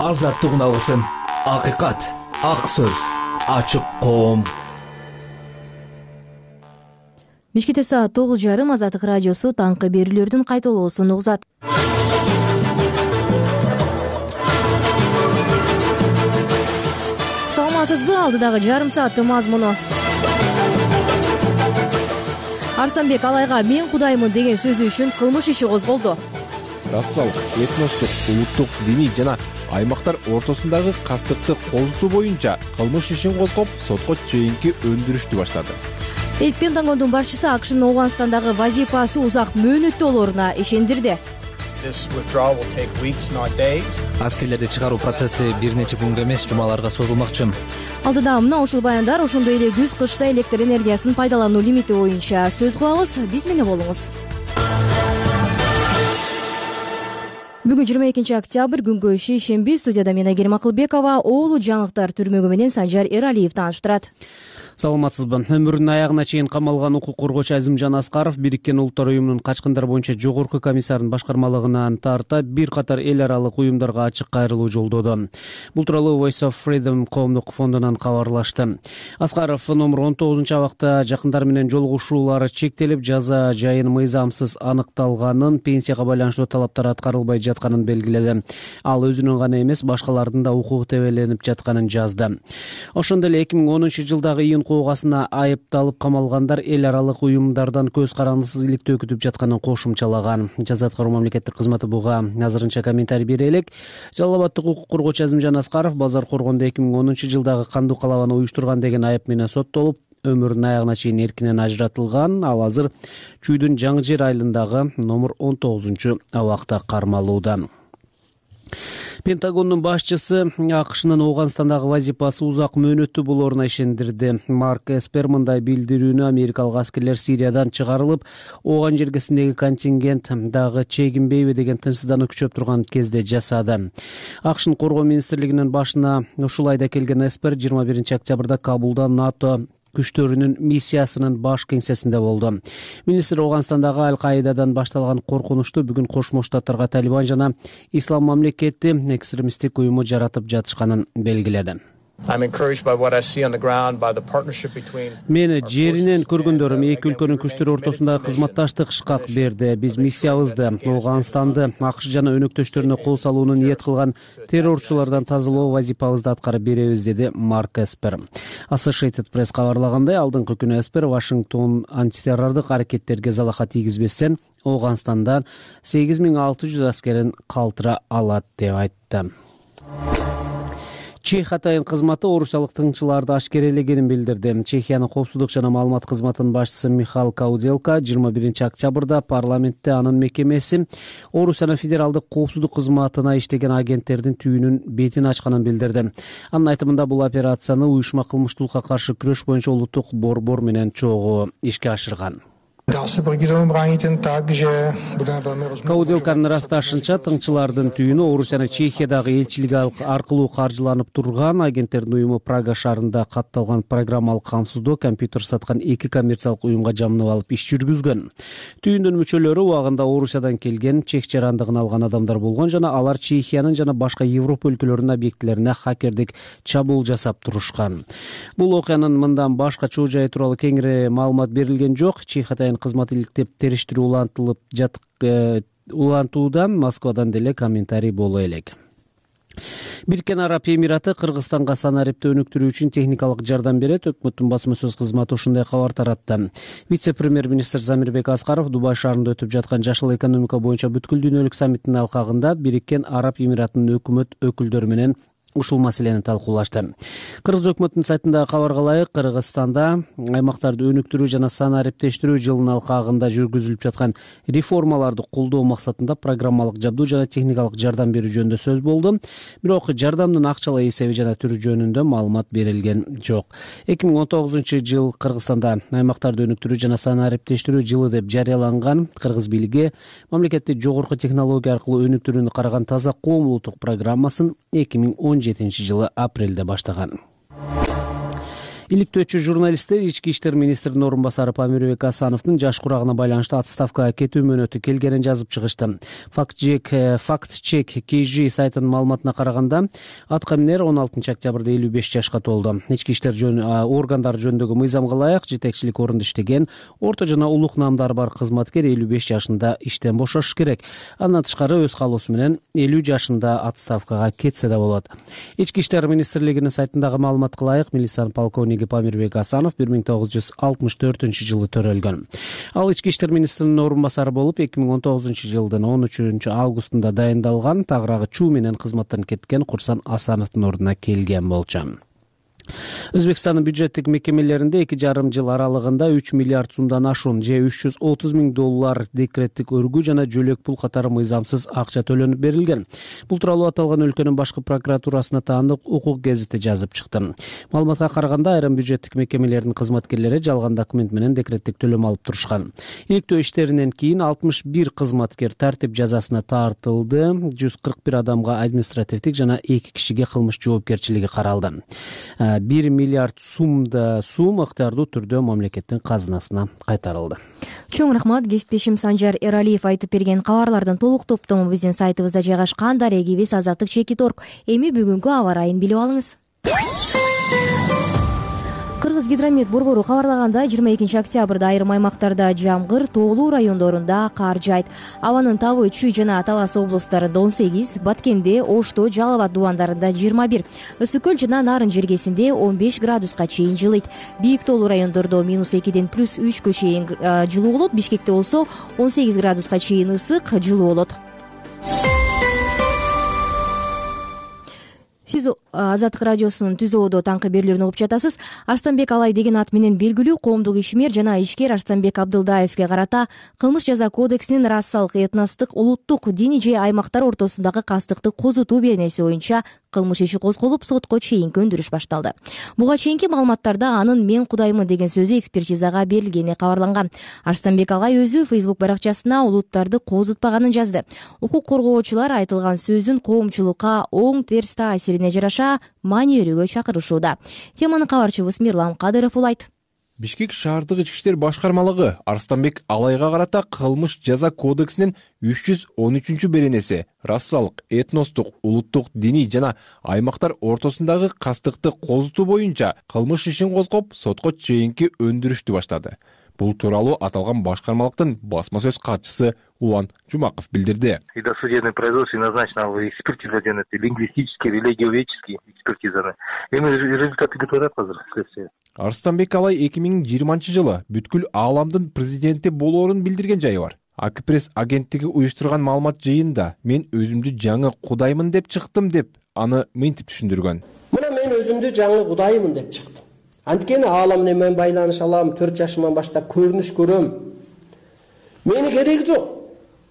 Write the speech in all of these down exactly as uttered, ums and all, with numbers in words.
азаттыгын алгысың. Акыйкат, ак сөз, ачык коом. Бишкекте саат тогуз жарым Азаттык радиосу таңкы берүүлөрдүн кайталоосун угузат. Саламатсызбы? Алдыдагы жарым сааттын мазмуну. Арстанбек Алайга мен кудаймын деген сөзү үчүн кылмыш иши козголду. Расал, этностук, улуттук, диний жана аймактар ортосундагы кастыкты козутуу боюнча кылмыш ишин козгоп, сотко чейинки өндүрүштү баштады. Пентагондун башчысы АКШнын Ооганстандагы вазифасы узак мөөнөттүү болоруна ишендирди. Аскерлерди чыгаруу процесси бир нече күнгө эмес, жумаларга созулмакчы. Алдыда мына ушул баяндар, ошондой эле күз-кышта электр энергиясын пайдалануу лимити боюнча сөз кылабыз. Биз менен болуңуз. Бүгүн жыйырма экинчи октябрь, күнгө иши ишемби. Студияда мен Айгерим Акылбекова, Оолу жаңылыктар түрмөгү менен Санжар Эралиев тааныштырат. Саламатсызбы? Өмүрүнүн аягына чейин камалган укук коргоочу Азимжан Аскаров Бириккен Улуттар уюмунун качкындар боюнча жогорку комиссарынын башкармалыгынан тарта бир катар эл аралык уюмдарга ачык кайрылуу жолдоду. Бул тууралуу Voice of Freedom коомдук фондунан кабарлашты. Аскаров номер он тогузунчу абакта жакындары менен жолугушуулары чектелип, жаза жайын мыйзамсыз аныкталганын, пенсияга байланыштуу талаптар аткарылбай жатканын белгиледи. Ал өзүнүн гана эмес, башкалардын да укугу тебеленип жатканын жазды. Ошондой эле эки миң онунчу жылдагы июнь куугасына айыпталып камалгандар эл аралык уюмдардан көз карандысыз иликтөө күтүп жатканын кошумчалаган. Жаза аткаруу мамлекеттик кызматы буга азырынча комментарий бере элек. Жалал Абадтык укук коргоочу Азимжан Аскаров базар коргондо эки миң онунчу жылдагы кандуу калабаны уюштурган деген айып менен соттолуп, өмүрүнүн аягына чейин эркинен ажыратылган. Ал азыр Чүйдүн Жаңы Жер айылындагы номер он тогузунчу абакта кармалууда. Пентагондун башчысы АКШнын Ооганстандагы вазифасы узак мөөнөттүү болоруна ишендирди. Марк Эспер мындай билдирүүнү америкалык аскерлер Сириядан чыгарылып, Ооган жергесиндеги контингент дагы чегинбейби деген тынчсыздануу күчөп турган кезде жасады. АКШнын коргоо министрлигинин башына ушул айда келген Эспер жыйырма биринчи октябрда Кабулда НАТО күчтөрүнүн миссиясынын баш кеңсесинде болду. Министр Ооганстандагы Аль-Каидадан башталган коркунучту бүгүн Кошмо Штаттарга Талибан жана Ислам мамлекети экстремисттик уюму жаратып жатышканын белгиледи. Мени жеринен көргөндөрүм эки өлкөнүн күчтөрү ортосундагы кызматташтык шкак берди. Биз миссиябызды Ооганстанды АКШ жана өнөктөштөрүнө кол салууну ниет кылган террорчулардан тазалоо вазифабызды аткарып беребиз, деди Марк Эспер. Associated Press кабарлагандай, алдыңкы күнү Эспер Вашингтон антитеррордук аракеттерге залаха тийгизбестен Ооганстандан сегиз миң алты жүз аскерин калтыра алат деп айтты. Чехия атайын кызматы орусиялык тыңчыларды ашкерелегенин билдирди. Чехиянын коопсуздук жана маалымат кызматынын башчысы Михаил Кауделка жыйырма биринчи октябрда парламентте анын мекемеси Орусиянын федералдык коопсуздук кызматына иштеген агенттердин түйүнүн бетин ачканын билдирди. Анын айтымында бул операцияны уюшма кылмыштуулукка каршы күрөш боюнча улуттук борбор менен чогуу ишке ашырган. Кауделканын ырасташынча, тыңчылардын түйүнү Орусиянын Чехиядагы элчилиги аркылуу каржыланып турган. Агенттердин уюму Прага шаарында катталган программалык камсыздоо компьютер саткан эки коммерциялык уюмга жамынып алып иш жүргүзгөн. Түйүндүн мүчөлөрү убагында Орусиядан келген, чех жарандыгын алган адамдар болгон жана алар Чехиянын жана башка Европа өлкөлөрүнүн объектилерине хакердик чабуул жасап турушкан. Бул окуянын мындан башка чоо жайы тууралуу кеңири маалымат берилген жок. Чех атайын кызмат иликтеп териштирүү улантылып жатык улантуудан Москвадан деле комментарий боло элек. Бириккен Араб Эмираты Кыргызстанга санариптүү өнүктүрүү үчүн техникалык жардам берет. Өкмөттүн басма сөз кызматы ушундай кабар таратты. Вице-премьер-министр Замирбек Аскаров Дубай шаарында өтүп жаткан жашыл экономика боюнча бүткүл дүйнөлүк саммиттин алкагында Бириккен Араб Эмиратынын өкмөт өкүлдөрү менен ушул маселени талкуулашты. Кыргыз өкмөтүнүн сайтындагы кабарга ылайык, Кыргызстанда аймактарды өнүктүрүү жана санариптештирүү жылынын алкагында жүргүзүлүп жаткан реформаларды колдоо максатында программалык жабдуу жана техникалык жардам берүү жөнүндө сөз болду. Бирок жардамдын акчалай эсеби жана түрү жөнүндө маалымат берилген жок. эки миң он тогузунчу жыл Кыргызстанда аймактарды өнүктүрүү жана санариптештирүү жылы деп жарыяланган. Кыргыз бийлиги мамлекетти жогорку технология аркылуу өнүктүрүүнү караган таза коом улуттук программасын эки миң он жетинчи жылы апрелде баштаган. Иликтөөчү журналисттер ички иштер министринин орун басары Памирбек Асановдун жаш курагына байланыштуу отставкага кетүү мөөнөтү келгенин жазып чыгышты. Факт-чек кей жи сайтынын маалыматына караганда атка минер он алтынчы октябрда элүү беш жашка толду. Ички иштер органдары жөнүндөгү мыйзамга ылайык жетекчилик орунда иштеген орто жана улук наамдары бар кызматкер элүү беш жашында иштен бошош керек. Андан тышкары өз каалоосу менен элүү жашында отставкага кетсе да болот. Ички иштер министрлигинин сайтындагы маалыматка ылайык милициянын полковниги Памирбек Асанов бир миң тогуз жүз алтымыш төртүнчү жылы төрөлгөн. Ал ички иштер министринин орун басары болуп эки миң он тогузунчу жылдын он үчүнчү августунда дайындалган. Тагыраагы чуу менен кызматтан кеткен Курсан Асановдун ордуна келген болчу. Өзбекстандын бюджеттик мекемелеринде эки жарым жыл аралыгында үч миллиард сумдан ашуун же үч жүз отуз миң доллар декреттик өргүү жана жөлөк пул катары мыйзамсыз акча төлөнүп берилген. Бул тууралуу аталган өлкөнүн башкы прокуратурасына таандык укук гезити жазып чыкты. Маалыматка караганда айрым бюджеттик мекемелердин кызматкерлери жалган документ менен декреттик төлөм алып турушкан. Иликтөө иштеринен кийин алтымыш бир кызматкер тартип жазасына тартылды. жүз кырк бир адамга административдик жана эки кишиге кылмыш жоопкерчилиги каралды. бир миллиард сумда сум ыктыярдуу түрдө мамлекеттин казынасына кайтарылды. Чоң рахмат. Кесиптешим Санжар Эралиев айтып берген кабарлардын толук топтому биздин сайтыбызда жайгашкан. Дарек кебис азаттык чекит точка орг. Эми бүгүнкү аба ырайын билип алыңыз. Кыргыз гидромет борбору кабарлагандай жыйырма экинчи октябрда айрым аймактарда жамгыр, тоолуу райондорунда кар жаайт. Абанын табы Чүй жана Талас облустарында он сегиз, Баткенде, Ошто, Жалал Абад дубандарында жыйырма бир, Ысык көл жана Нарын жергесинде он беш градуска чейин жылыйт. Бийик тоолуу райондордо минус экиден плюс үчкө чейин жылуу болот. Бишкекте болсо он сегиз градуска чейин ысык, жылуу болот. Сиз Азаттык радиосунун Түзөөдө таңкы берүүлөрүн угуп жатасыз. Арстанбек Алай деген ат менен белгилүү коомдук ишмер жана ишкер Арстанбек Абдылдаевге карата Кылмыш жаза кодексинин расалык, этностук, улуттук, диний же аймактар ортосундагы кастыкты козутуу беренеси боюнча кылмыш иши козголуп, сотко чейинки өндүрүш башталды. Буга чейинки маалыматтарда анын "мен кудаймын" деген сөзү экспертизага берилгени кабарланган. Арстанбек Алай өзү Facebook баракчасына улуттарды козутпаганын жазды. Укук коргоочулар айтылган сөзүн коомчулукка оң терс таасирине жараша маани берүүгө чакырышууда. Теманы кабарчыбыз Мирлан Кадыров улайт. Бишкек шаардык ички иштер башкармалыгы Арстанбек Алайга карата кылмыш жаза кодексинин үч жүз он үчүнчү беренеси расалык, этностук, улуттук, диний жана аймактар ортосундагы кастыкты козутуу боюнча кылмыш ишин козгоп, сотко чейинки өндүрүштү баштады. Бул тууралуу аталган башкармалыктын басма сөз катчысы Улан Жумаков билдирди. И досудебное производство назначено в экспертизу лингвистические, религиоведческие экспертизаны. Эми результаты готовят азыр следствие. Арстанбек Алай эки миң жыйырманчы жылы бүткүл ааламдын президенти болоорун билдирген жайы бар. Акпресс агенттиги уюштурган маалымат жыйында мен өзүмдү жаңы кудаймын деп чыктым деп аны мынтип түшүндүргөн. Мына мен өзүмдү жаңы кудаймын деп чыктым. Анткени аалам менен мен байланыш алам, төрт жашыман баштап көрүнүш көрөм. Мени кереги жок.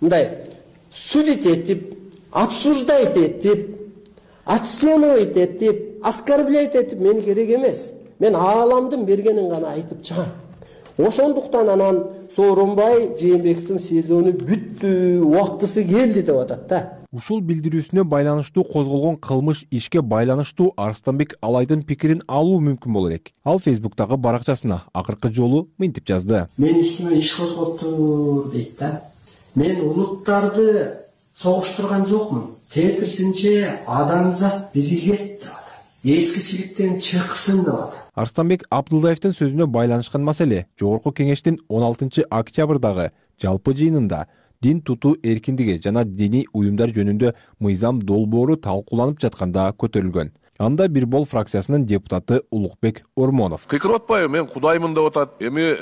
Мындай судить этип, обсуждать этип, оценивать этип, оскорблять этип мени керек эмес. Мен ааламдын бергенин гана айтып чыгам. Ошондуктан анан Сооронбай Жээнбековдун сезону бүттү, убактысы келди деп атат да. Ушул билдирүүсүнө байланыштуу козголгон кылмыш ишке байланыштуу Арстанбек Алайдын пикирин алуу мүмкүн болот элек. Ал Facebook'тагы баракчасына акыркы жолу мынтип жазды. Мен үстүмө иш козгоптур дейт да. Мен улуттарды согуштурган жокмун. Тетирсинче адамзат биригет деп атат. Эскичиликтен чыксын деп атат. Арстанбек Абдылдаевдин сөзүнө байланышкан маселе Жогорку кеңештин он алтынчы октябрдагы жалпы жыйынында дин тутуу эркиндиги жана диний уюмдар жөнүндө мыйзам долбоору талкууланып жатканда көтөрүлгөн. Анда бир бол фракциясынын депутаты Улукбек Ормонов. Кыйкырып атпайбы, мен кудаймын деп атат. Эми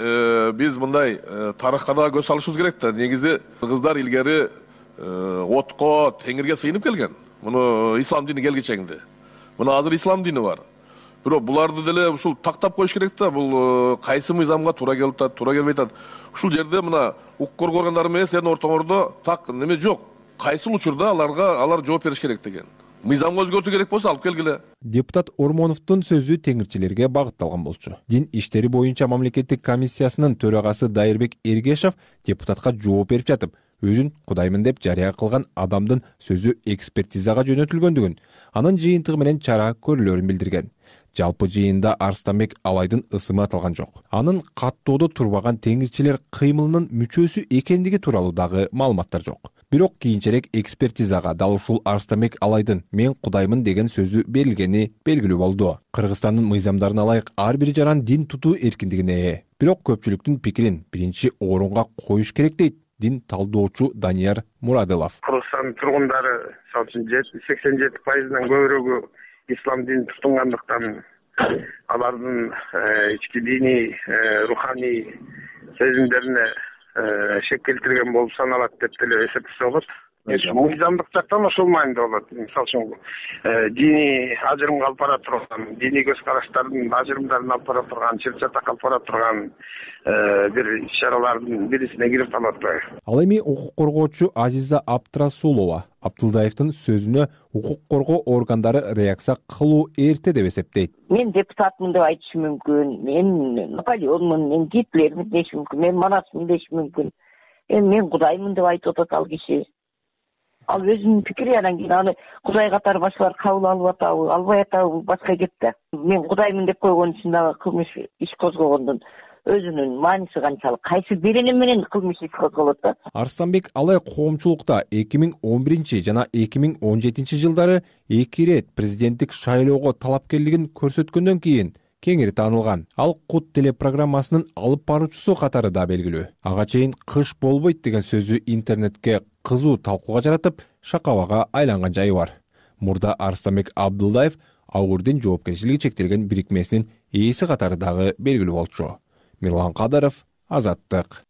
биз мындай тарыхка да көз салышыбыз керек да. Негизи кыргыздар илгери отко, теңирге сыйынып келген. Муну ислам дини келгичеңди. Муну азыр ислам дини бар. Бирок буларды деле ушул тактап коюш керек да. Бул кайсы мыйзамга туура келип атат, туура келбей атат. Ушул жерде мына укук коргоо органдары менен силердин ортоңордо так неме жок. Кайсы учурда аларга алар жооп бериш керек деген. Мыйзамга өзгөртүү керек болсо алып келгиле. Депутат Ормоновдун сөзү теңирчилерге багытталган болчу. Дин иштери боюнча мамлекеттик комиссиясынын төрагасы Дайырбек Эргешев депутатка жооп берип жатып, өзүн кудаймын деп жарыя кылган адамдын сөзү экспертизага жөнөтүлгөндүгүн, анын жыйынтыгы менен чара көрүлөрүн билдирген. Жалпы жыйында Арстанбек Алайдын ысымы аталган жок. Анын каттоодо турбаган теңирчилер кыймылынын мүчөсү экендиги тууралуу дагы маалыматтар жок. Бирок кийинчерээк экспертизага дал ушул Арстанбек Алайдын "мен кудаймын" деген сөзү берилгени белгилүү болду. Кыргызстандын мыйзамдарына ылайык ар бир жаран дин тутуу эркиндигине ээ. Бирок көпчүлүктүн пикирин биринчи орунга коюш керек дейт дин талдоочу Данияр Мурадылов. Кыргызстан тургундары мисалы үчүн сексен жети пайызынан көбүрөөгү ислам динин тутунгандыктан алардын ички диний, руханий сезимдерине шек келтирген болуп саналат деп деле эсептесе болот. Мыйзамдык жактан ошол маанилде болот. Мисалы үчүн диний ажырымга алып бара турган, диний көз караштардын ажырымдарын алып бара турган, чыр чатак алып бара турган бир иш-чаралардын бирисине кирип калат. Ал эми укук коргоочу Азиза Абдрасулова Абдылдаевдин сөзүнө укук коргоо органдары реакция кылуу эрте деп эсептейт. Мен депутатмын деп айтышым мүмкүн, мен Наполеонмун, мен Гитлермин дешим мүмкүн, мен Манасмын дешим мүмкүн. Эми мен Кудаймын деп айтып атат ал киши. Ал өзүнүн пикири, анан кийин аны Кудай катары башкалар кабыл алып атабы, албай атабы башка кеп да. Мен Кудаймын деп койгон үчүн дагы кылмыш иш козгогондун өзүнүн мааниси канчалык, кайсы берене менен кылмыш иш козголот да. Арстанбек Алай коомчулукта эки миң он биринчи жана эки миң он жетинчи жылдары эки ирет президенттик шайлоого талапкерлигин көрсөткөндөн кийин кеңири таанылган. Ал Кут телепрограммасынын алып баруучусу катары да белгилүү. Ага чейин кыш болбойт деген сөзү интернетке кызуу талкууга жаратып, шакабага айланган жайы бар. Мурда Арстанбек Абдылдаев Ауырдин жоопкерчилиги чектелген бирикмесинин ээси катары дагы белгилүү болчу. Мирлан Кадаров, Азаттык.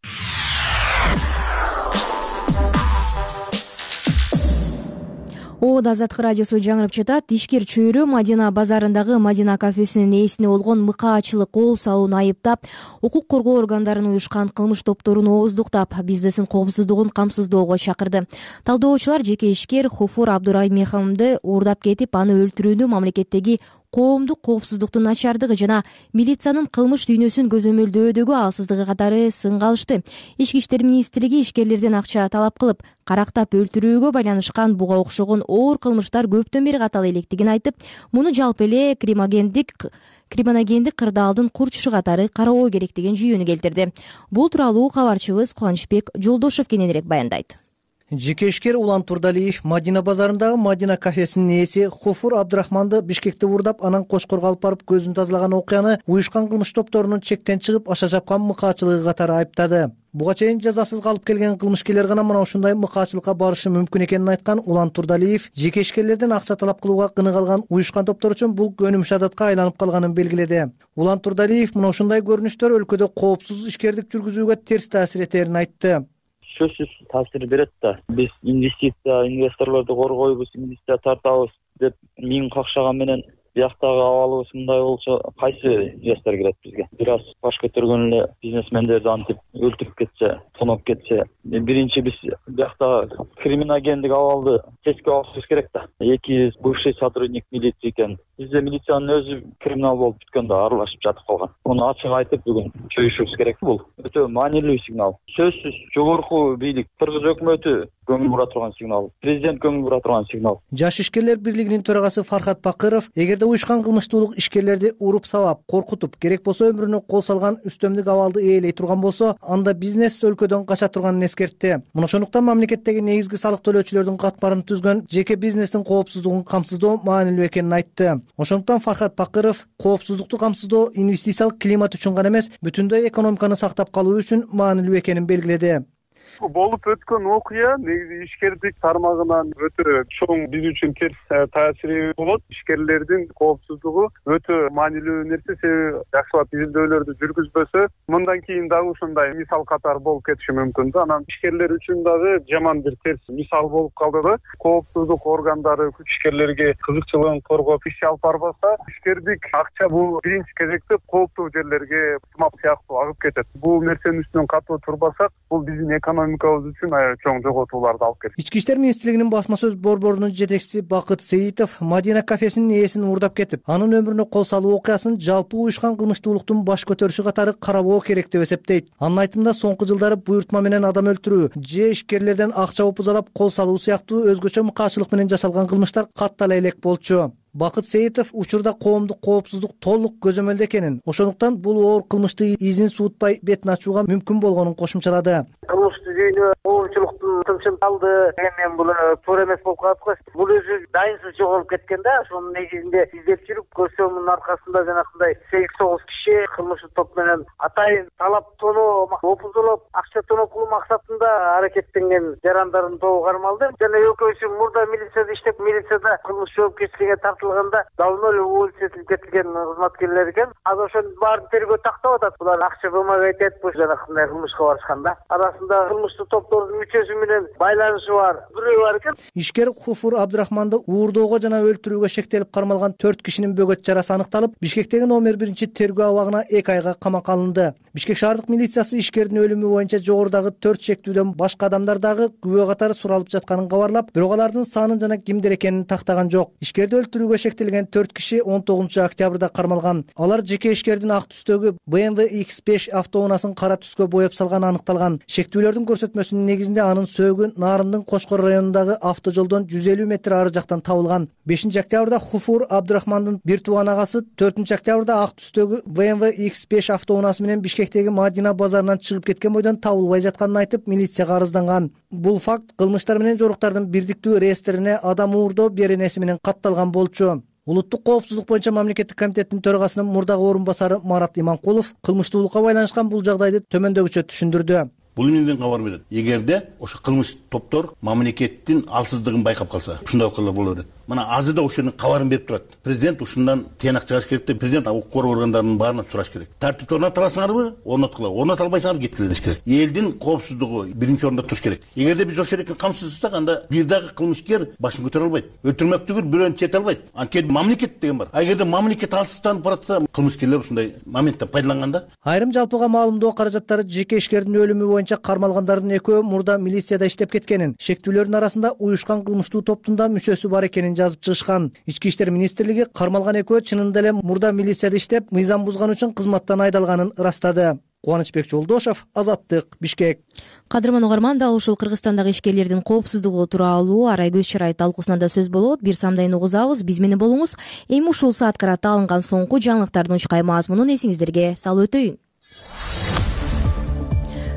Оод Азаттык радиосу жаңырып жатат. Ишкер чөйрө Мадина базарындагы Мадина кафесинин ээсине болгон мыкаачылык кол салууну айыптап, укук коргоо органдарын уюшкан кылмыш топторун ооздуктап, бизнесин коопсуздугун камсыздоого чакырды. Талдоочулар жеке ишкер Хуфур Абдураймеховду уурдап кетип, аны өлтүрүүнү мамлекеттеги коомдук коопсуздуктун начардыгы жана милициянын кылмыш дүйнөсүн көзөмөлдөөдөгү алсыздыгы катары сынга алышты. Ички иштер министрлиги ишкерлерден акча талап кылып, карактап өлтүрүүгө байланышкан буга окшогон оор кылмыштар көптөн бери каталы электигин айтып, муну жалпы эле криминогендик криминогендик кырдаалдын курчушу катары кароо керек деген жүйөнү келтирди. Бул тууралуу кабарчыбыз Кубанычбек Жолдошов кененирээк баяндайт. Жеке ишкер Улан Турдалиев Мадина базарындагы Мадина кафесинин ээси Хуфур Абдрахманды Бишкекте уурдап, анан Кошкорго алып барып көзүн тазалаган окуяны уюшкан кылмыш топторунун чектен чыгып аша жапкан мыкаачылыгы катары айыптады. Буга чейин жазасыз калып келген кылмышкерлер гана мына ушундай мыкаачылыкка барышы мүмкүн экенин айткан Улан Турдалиев жеке ишкерлерден акча талап кылууга кыны калган уюшкан топтор үчүн бул көнүмүш адатка айланып калганын белгиледи. Улан Турдалиев мына ушундай көрүнүштөр өлкөдө коопсуз ишкердик жүргүзүүгө терс таасир этерин айтты. Сөзсүз таасир берет да. Биз инвестиция, инвесторлорду коргойбуз, инвестиция тартабыз деп миң какшаган менен бияктагы абалыбыз мындай болсо кайсы жастар кирет бизге? Бир аз баш көтөргөн эле бизнесмендерди антип өлтүрүп кетсе, тоноп кетсе, биринчи биз бияктагы криминогендик абалды сеске алышыбыз керек да. Эки бывший сотрудник милиции экен. Бизде милициянын өзү криминал болуп бүткөн да, аралашып жатып калган. Муну ачык айтып бүгүн чөйүшүбүз керек. Бул өтө маанилүү сигнал. Сөзсүз жогорку бийлик, Кыргыз өкмөтү көңүл бура турган сигнал, президент көңүл бура турган сигнал. Жаш ишкерлер бирлигинин төрагасы Фархат Бакыров эгерде уюшкан кылмыштуулук ишкерлерди уруп сабап, коркутуп, керек болсо өмүрүнө кол салган үстөмдүк абалды ээлей турган болсо, анда бизнес өлкөдөн кача турганын эскертти. Мына ошондуктан мамлекеттеги негизги салык төлөөчүлөрдүн катмарын түзгөн жеке бизнестин коопсуздугун камсыздоо маанилүү экенин айтты. Ошондуктан Фархат Бакыров коопсуздукту камсыздоо инвестициялык климат үчүн гана эмес, бүтүндөй экономиканы сактап калуу үчүн маанилүү экенин белгиледи. Болуп өткөн окуя негизи ишкердик тармагынан өтө чоң биз үчүн терс таасири болот. Ишкерлердин коопсуздугу өтө маанилүү нерсе, себеби жакшылап изилдөөлөрдү жүргүзбөсө, мындан кийин дагы ушундай мисал катары болуп кетиши мүмкүн да. Анан ишкерлер үчүн дагы жаман бир терс мисал болуп калды да. Коопсуздук органдары ишкерлерге кызыкчылыгын коргоп иш алып барбаса, ишкердик акча бул биринчи кезекте кооптуу жерлерге тымак сыяктуу агып кетет. Бул нерсенин үстүнөн катуу турбасак, бул биздин экономикабыз үчүн чоң жоготууларды алып келет. Ички иштер министрлигинин басма сөз борборунун жетекчиси Бакыт Сейитов Мадина кафесинин ээсин уурдап кетип, анын өмүрүнө кол салуу окуясын жалпы уюшкан кылмыштуулуктун баш көтөрүшү катары карабоо керек деп эсептейт. Анын айтымында соңку жылдары буйртма менен адам өлтүрүү, же ишкерлерден акча упузалап кол салуу сыяктуу өзгөчө мыкаачылык менен жасалган кылмыштар каттала элек болчу. Бакыт Сейитов учурда коомдук коопсуздук толук көзөмөлдө экенин, ошондуктан бул оор кылмыштын изин суутпай бетин ачууга мүмкүн болгонун кошумчалады. Кылмыштуу жүйөнү коомчулуктун тынчын алды деген бул туура эмес болуп калат го. Бул өзү дайынсыз жоголуп кеткен да. Ошонун негизинде издеп жүрүп көрсөм, мунун аркасында жанакындай сегиз тогуз киши кылмыштуу топ менен атайын талап тоноо, опуздолоп, акча тоноо кылуу максатында аракеттенген жарандардын тобу кармалды. Жана экөөсү мурда милицияда иштеп, милицияда кылмыш жоопкерчиликке тартылганда давно эле уволить кетилген кызматкерлер экен. Азыр ошонун баарын тергөө тактап атат. Булар акча вымогать этип, жанакындай кылмышка барышканда. Арасында кылмыштуу топтордун мүчөсү менен байланышы бар бирөө бар экен. Ишкер Хуфур Абдрахманды уурдоого жана өлтүрүүгө шектелип кармалган төрт кишинин бөгөт жарасы аныкталып, Бишкектеги номер биринчи тергөө абагына эки айга камакка алынды. Бишкек шаардык милициясы ишкердин өлүмү боюнча жогорудагы төрт шектүүдөн башка адамдар дагы күбө катары суралып жатканын кабарлап, бирок алардын санын жана кимдер экенин тактаган жок. Ишкерди өлтүрүүгө шектелген төрт киши он тогузунчу октябрда кармалган. Алар жеке ишкердин ак түстөгү бэ эм вэ икс беш автоунаасын кара түскө боеп салганы аныкталган. Шектүүлөрдүн көрсөтмөсүнүн негизинде анын сөөгү Нарындын Кошкор районундагы автожолдон жүз элүү метр ары жактан табылган. бешинчи октябрда Хуфур Абдрахмандын бир тууган агасы төртүнчү октябрда ак түстөгү бэ эм вэ икс беш автоунаасы менен Бишкектеги Мадина базарынан чыгып кеткен бойдон табылбай жатканын айтып, милицияга арызданган. Бул факт кылмыштар менен жоруктардын бирдиктүү реестрине адам уурдоо беренеси менен катталган болчу. Улуттук коопсуздук боюнча мамлекеттик комитеттин төрагасынын мурдагы орун басары Марат Иманкулов кылмыштуулукка байланышкан бул жагдайды төмөндөгүчө түшүндүрдү. Бул эмнеден кабар берет? Эгерде ошо кылмыш топтор мамлекеттин алсыздыгын байкап калса, ушундай окуялар боло берет. Мына азыр да ошонун кабарын берип турат. Президент ушундан тыянак чыгарыш керек деп, президент укук коргоо органдарынын баарынан сураш керек. Тартипти орното аласыңарбы? Орноткула. Орното албайсыңар, кеткиле деш керек. Элдин коопсуздугу биринчи орунда туруш керек. Эгерде биз ошол эркин камсыздасак, анда бир дагы кылмышкер башын көтөрө албайт. Өлтүрмөктүгү бирөөнү чете албайт. Анткени мамлекет деген бар. Эгерде мамлекет алсызданып баратса, кылмышкерлер ушундай моменттен пайдаланганда. Айрым жалпыга маалымдоо каражаттары жеке ишкердин өлүмү боюнча кармалгандардын экөө мурда милицияда иштеп кеткенин, шектүүлөрдүн арасында уюшкан кылмыштуу топтун да мүчөсү бар экенин жазып чыгышкан. Ички иштер министрлиги кармалган экөө чынында эле мурда милицияда иштеп, мыйзам бузган үчүн кызматтан айдалганын ырастады. Кубанычбек Жолдошов, Азаттык, Бишкек. Кадырман угарман, дал ушул Кыргызстандагы ишкерлердин коопсуздугу тууралуу арай көз чарай талкуусунда сөз болот. Бир самдайын угузабыз, биз менен болуңуз. Эми ушул саат карата алынган соңку жаңылыктардын учкай мазмунун эсиңиздерге салып өтөйүн.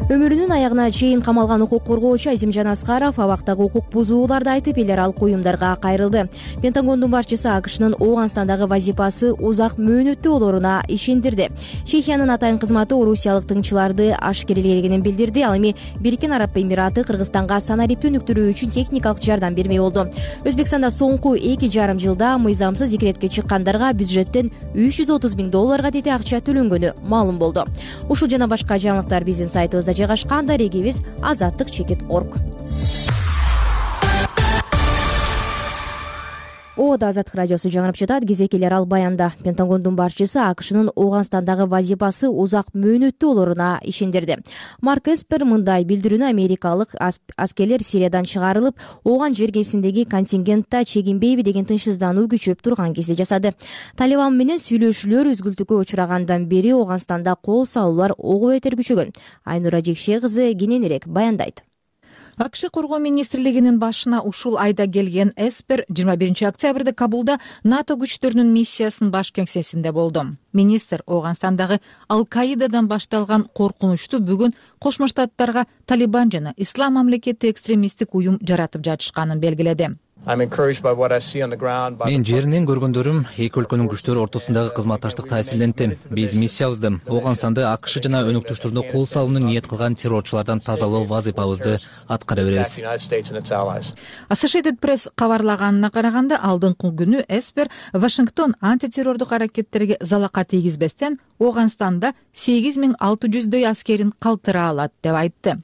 Өмүрүнүн аягына чейин камалган укук коргоочу Азимжан Аскаров абактагы укук бузууларды айтып, эл аралык уюмдарга кайрылды. Пентагондун башчысы АКШнын Ооганстандагы вазипасы узак мөөнөттүү болоруна ишендирди. Чехиянын атайын кызматы орусиялык тыңчыларды ашкерелегенин билдирди. Ал эми Бириккен Араб Эмираты Кыргызстанга санариптү өнүктүрүү үчүн техникалык жардам бермей болду. Өзбекстанда соңку эки жарым жылда мыйзамсыз декретке чыккандарга бюджеттен үч жүз отуз миң долларга тети акча төлөнгөнү маалым болду. Ушул жана башка жаңылыктар биздин сайтыбызда жайгашкан. Дарегибиз азаттык чекит точка орг. Ода Азаттык радиосу жаңырып жатат. Кезекелер ал баянда. Пентагондун башчысы АКШнын Ооганстандагы вазипасы узак мөөнөттүү болоруна ишендирди. Марк Эспер мындай билдирүүнү америкалык аскерлер Сириядан чыгарылып, Ооган жергесиндеги контингентта чегинбейби деген тынчсыздануу күчөп турган кезде жасады. Талибан менен сүйлөшүүлөр үзгүлтүккө учурагандан бери Ооганстанда кол салуулар ого бетер күчөгөн. Айнура Жекше кызы кененирээк баяндайт. АКШ коргоо министрлигинин башына ушул айда келген Эспер жыйырма биринчи октябрда Кабулда НАТО күчтөрүнүн миссиясынын баш кеңсесинде болду. Министр Ооганстандагы Ал-Каидадан башталган коркунучту бүгүн Кошмо Штаттарга Талибан жана Ислам мамлекети экстремисттик уюм жаратып жатышканын белгиледи. Мен жеринен көргөндөрүм эки өлкөнүн күчтөрү ортосундагы кызматташтык таасирленти. Биз миссиябызды Ооганстанды АКШ жана өнөктөштөрүнө кол салууну ниет кылган террорчулардан тазалоо вазипабызды аткара беребиз. Associated Press кабарлаганына караганда, алдыңкы күнү Эспер Вашингтон антитеррордук аракеттерге залака тийгизбестен Ооганстанда сегиз миң алты жүздөй аскерин калтыра алат деп айтты.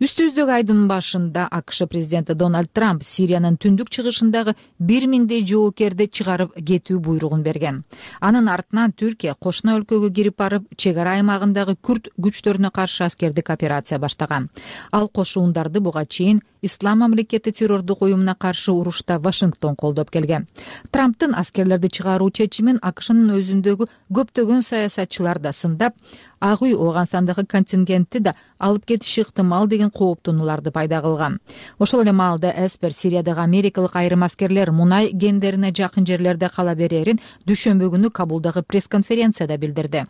Үстүбүздөгү айдын башында АКШ президенти Дональд Трамп Сириянын түндүк чыгышындагы бир миңдей жоокерди чыгарып кетүү буйругун берген. Анын артынан Түркия кошуна өлкөгө кирип барып, чек ара аймагындагы күрд күчтөрүнө каршы аскердик операция баштаган. Ал кошуундарды буга чейин Ислам мамлекети террордук уюмуна каршы урушта Вашингтон колдоп келген. Трамптын аскерлерди чыгаруу чечимин АКШнын өзүндөгү көптөгөн саясатчылар да сындап, Ак үй Ооганстандагы контингентти да алып кетиши ыктымал деген кооптонууларды пайда кылган. Ошол эле маалда Эспер Сириядагы америкалык айрым аскерлер мунай кендерине жакын жерлерде кала берерин дүйшөмбү күнү Кабулдагы пресс-конференцияда билдирди.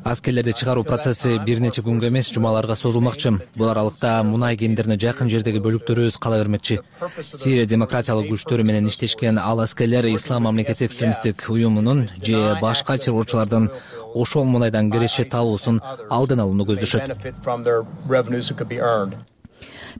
Аскерлерди чыгаруу процесси бир нече күнгө эмес, жумаларга созулмакчы. Бул аралыкта мунай кендерине жакын жердеги бөлүктөрүбүз кала бермекчи. Сирия демократиялык күчтөрү менен иштешкен ал аскерлер Ислам мамлекети экстремисттик уюмунун же башка террорчулардын ошол мунайдан киреше табуусун алдын алууну көздөшөт.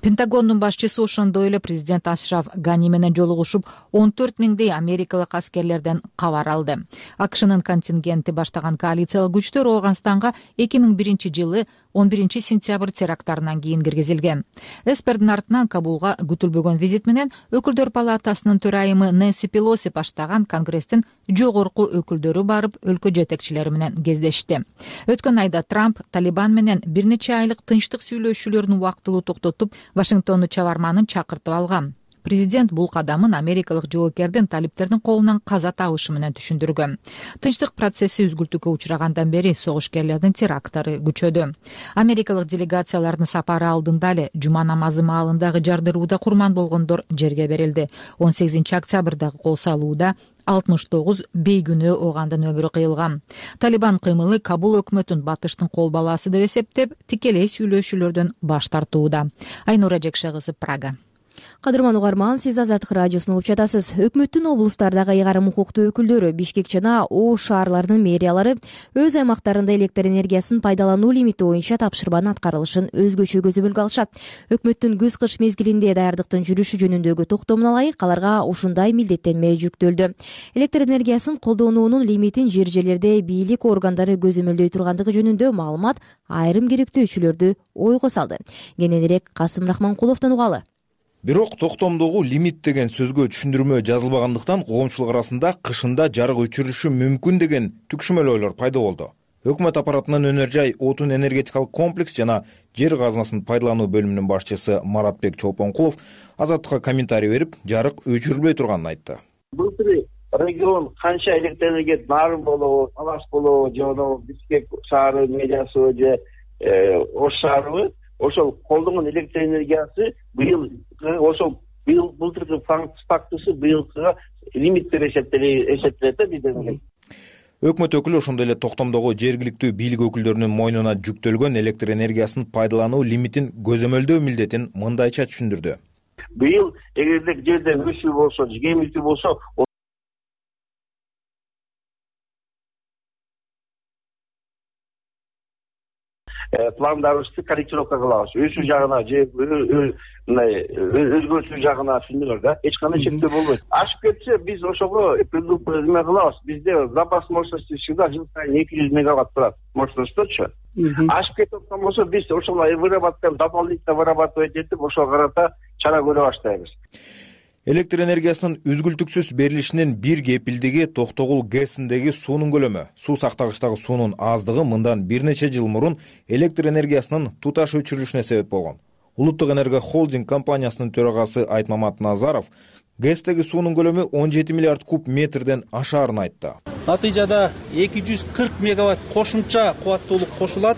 Пентагондун башчысы ошондой эле президент Ашраф Гани менен жолугушуп, он төрт миңдей америкалык аскерлерден кабар алды. АКШнын контингенти баштаган коалициялык күчтөр Ооганстанга эки миң биринчи жылы он биринчи сентябрь теракттарынан кийин киргизилген. Эспердин артынан Кабулга күтүлбөгөн визит менен Өкүлдөр палатасынын төрайымы Нэнси Пелоси баштаган Конгресстин жогорку өкүлдөрү барып, өлкө жетекчилери менен кездешти. Өткөн айда Трамп Талибан менен бир нече айлык тынчтык сүйлөшүүлөрүн убактылуу токтотуп, Вашингтонду чабарманын чакыртып алган. Президент бул кадамын америкалык жоокердин талиптердин колунан каза табышы менен түшүндүргөн. Тынчтык процесси үзгүлтүүгө учурагандан бери согушкерлердин теракттары күчөдү. Америкалык делегациялардын сапары алдында эле жума намазы маалындагы жардырууда курман болгондор жерге берилди. он сегизинчи октябрдагы кол салууда алтымыш тогуз бейгүнөө оогандын өмүрү кыйылган. Талибан кыймылы Кабул өкмөтүн батыштын кол баласы деп эсептеп, тикелей сүйлөшүүлөрдөн баш тартууда. Айнура Жекшегызы, Прага. Кадырман угарман, сиз Азаттык радиосун угуп жатасыз. Өкмөттүн облустардагы ыйгарым укуктуу өкүлдөрү Бишкек жана Ош шаарларынын мэриялары өз аймактарында электр энергиясын пайдалануу лимити боюнча тапшырманын аткарылышын өзгөчө көзөмөлгө алышат. Өкмөттүн күз-кыш мезгилинде даярдыктын жүрүшү жөнүндөгү токтомуна ылайык аларга ушундай милдеттенме жүктөлдү. Электр энергиясын колдонуунун лимитин жер жерлерде бийлик органдары көзөмөлдөй тургандыгы жөнүндө маалымат айрым керектөөчүлөрдү ойго салды. Кененирээк Касым Рахманкуловдон угалы. Бирок токтомдогу лимит деген сөзгө түшүндүрмө жазылбагандыктан коомчулук арасында кышында жарык өчүрүлүшү мүмкүн деген түкшүмөл ойлор пайда болду. Өкмөт аппаратынын Өнөр жай отун энергетикалык комплекс жана жер казынасын пайдалануу бөлүмүнүн башчысы Маратбек Чолпонкулов Азаттыкка комментарий берип, жарык өчүрүлбөй турганын айтты. Былтыр регион канча электр энергия Нарын болобу, Талаш болобу, же Бишкек шаары мэриясы же Ош шаарыбы ошол колдонгон электр энергиясы быйыл ошол быйыл былтыркы фактысы быйылкыга лимиттер эсептелет да бизде. Өкмөт өкүлү ошондой эле токтомдогу жергиликтүү бийлик өкүлдөрүнүн мойнуна жүктөлгөн электр энергиясын пайдалануу лимитин көзөмөлдөө милдетин мындайча түшүндүрдү. Быйыл эгерде жерде өсүү болсо, кемилүү болсо, пландарыбызды корректировка кылабыз. Өсүү жагына же өзгөртүү жагына түшүндүңөр да. Эч кандай чектөө болбойт. Ашып кетсе биз ошого эме кылабыз. Бизде запас мощности всегда жыл сайын эки жүз мегаватт турат. Мощностьточу. Ашып кетип аткан болсо биз ошол выработканы дополнительно вырабатывать этип ошого карата чара көрө баштайбыз. Электр энергиясынын үзгүлтүксүз берилишинин бир кепилдиги Токтогул ГЭСиндеги суунун көлөмү. Суу сактагычтагы суунун аздыгы мындан бир нече жыл мурун электр энергиясынын туташ өчүрүлүшүнө себеп болгон. Улуттук энерго холдинг компаниясынын төрагасы Айтмамат Назаров ГЭСтеги суунун көлөмү он жети миллиард куб метрден ашаарын айтты. Натыйжада эки жүз кырк мегаватт кошумча кубаттуулук кошулат.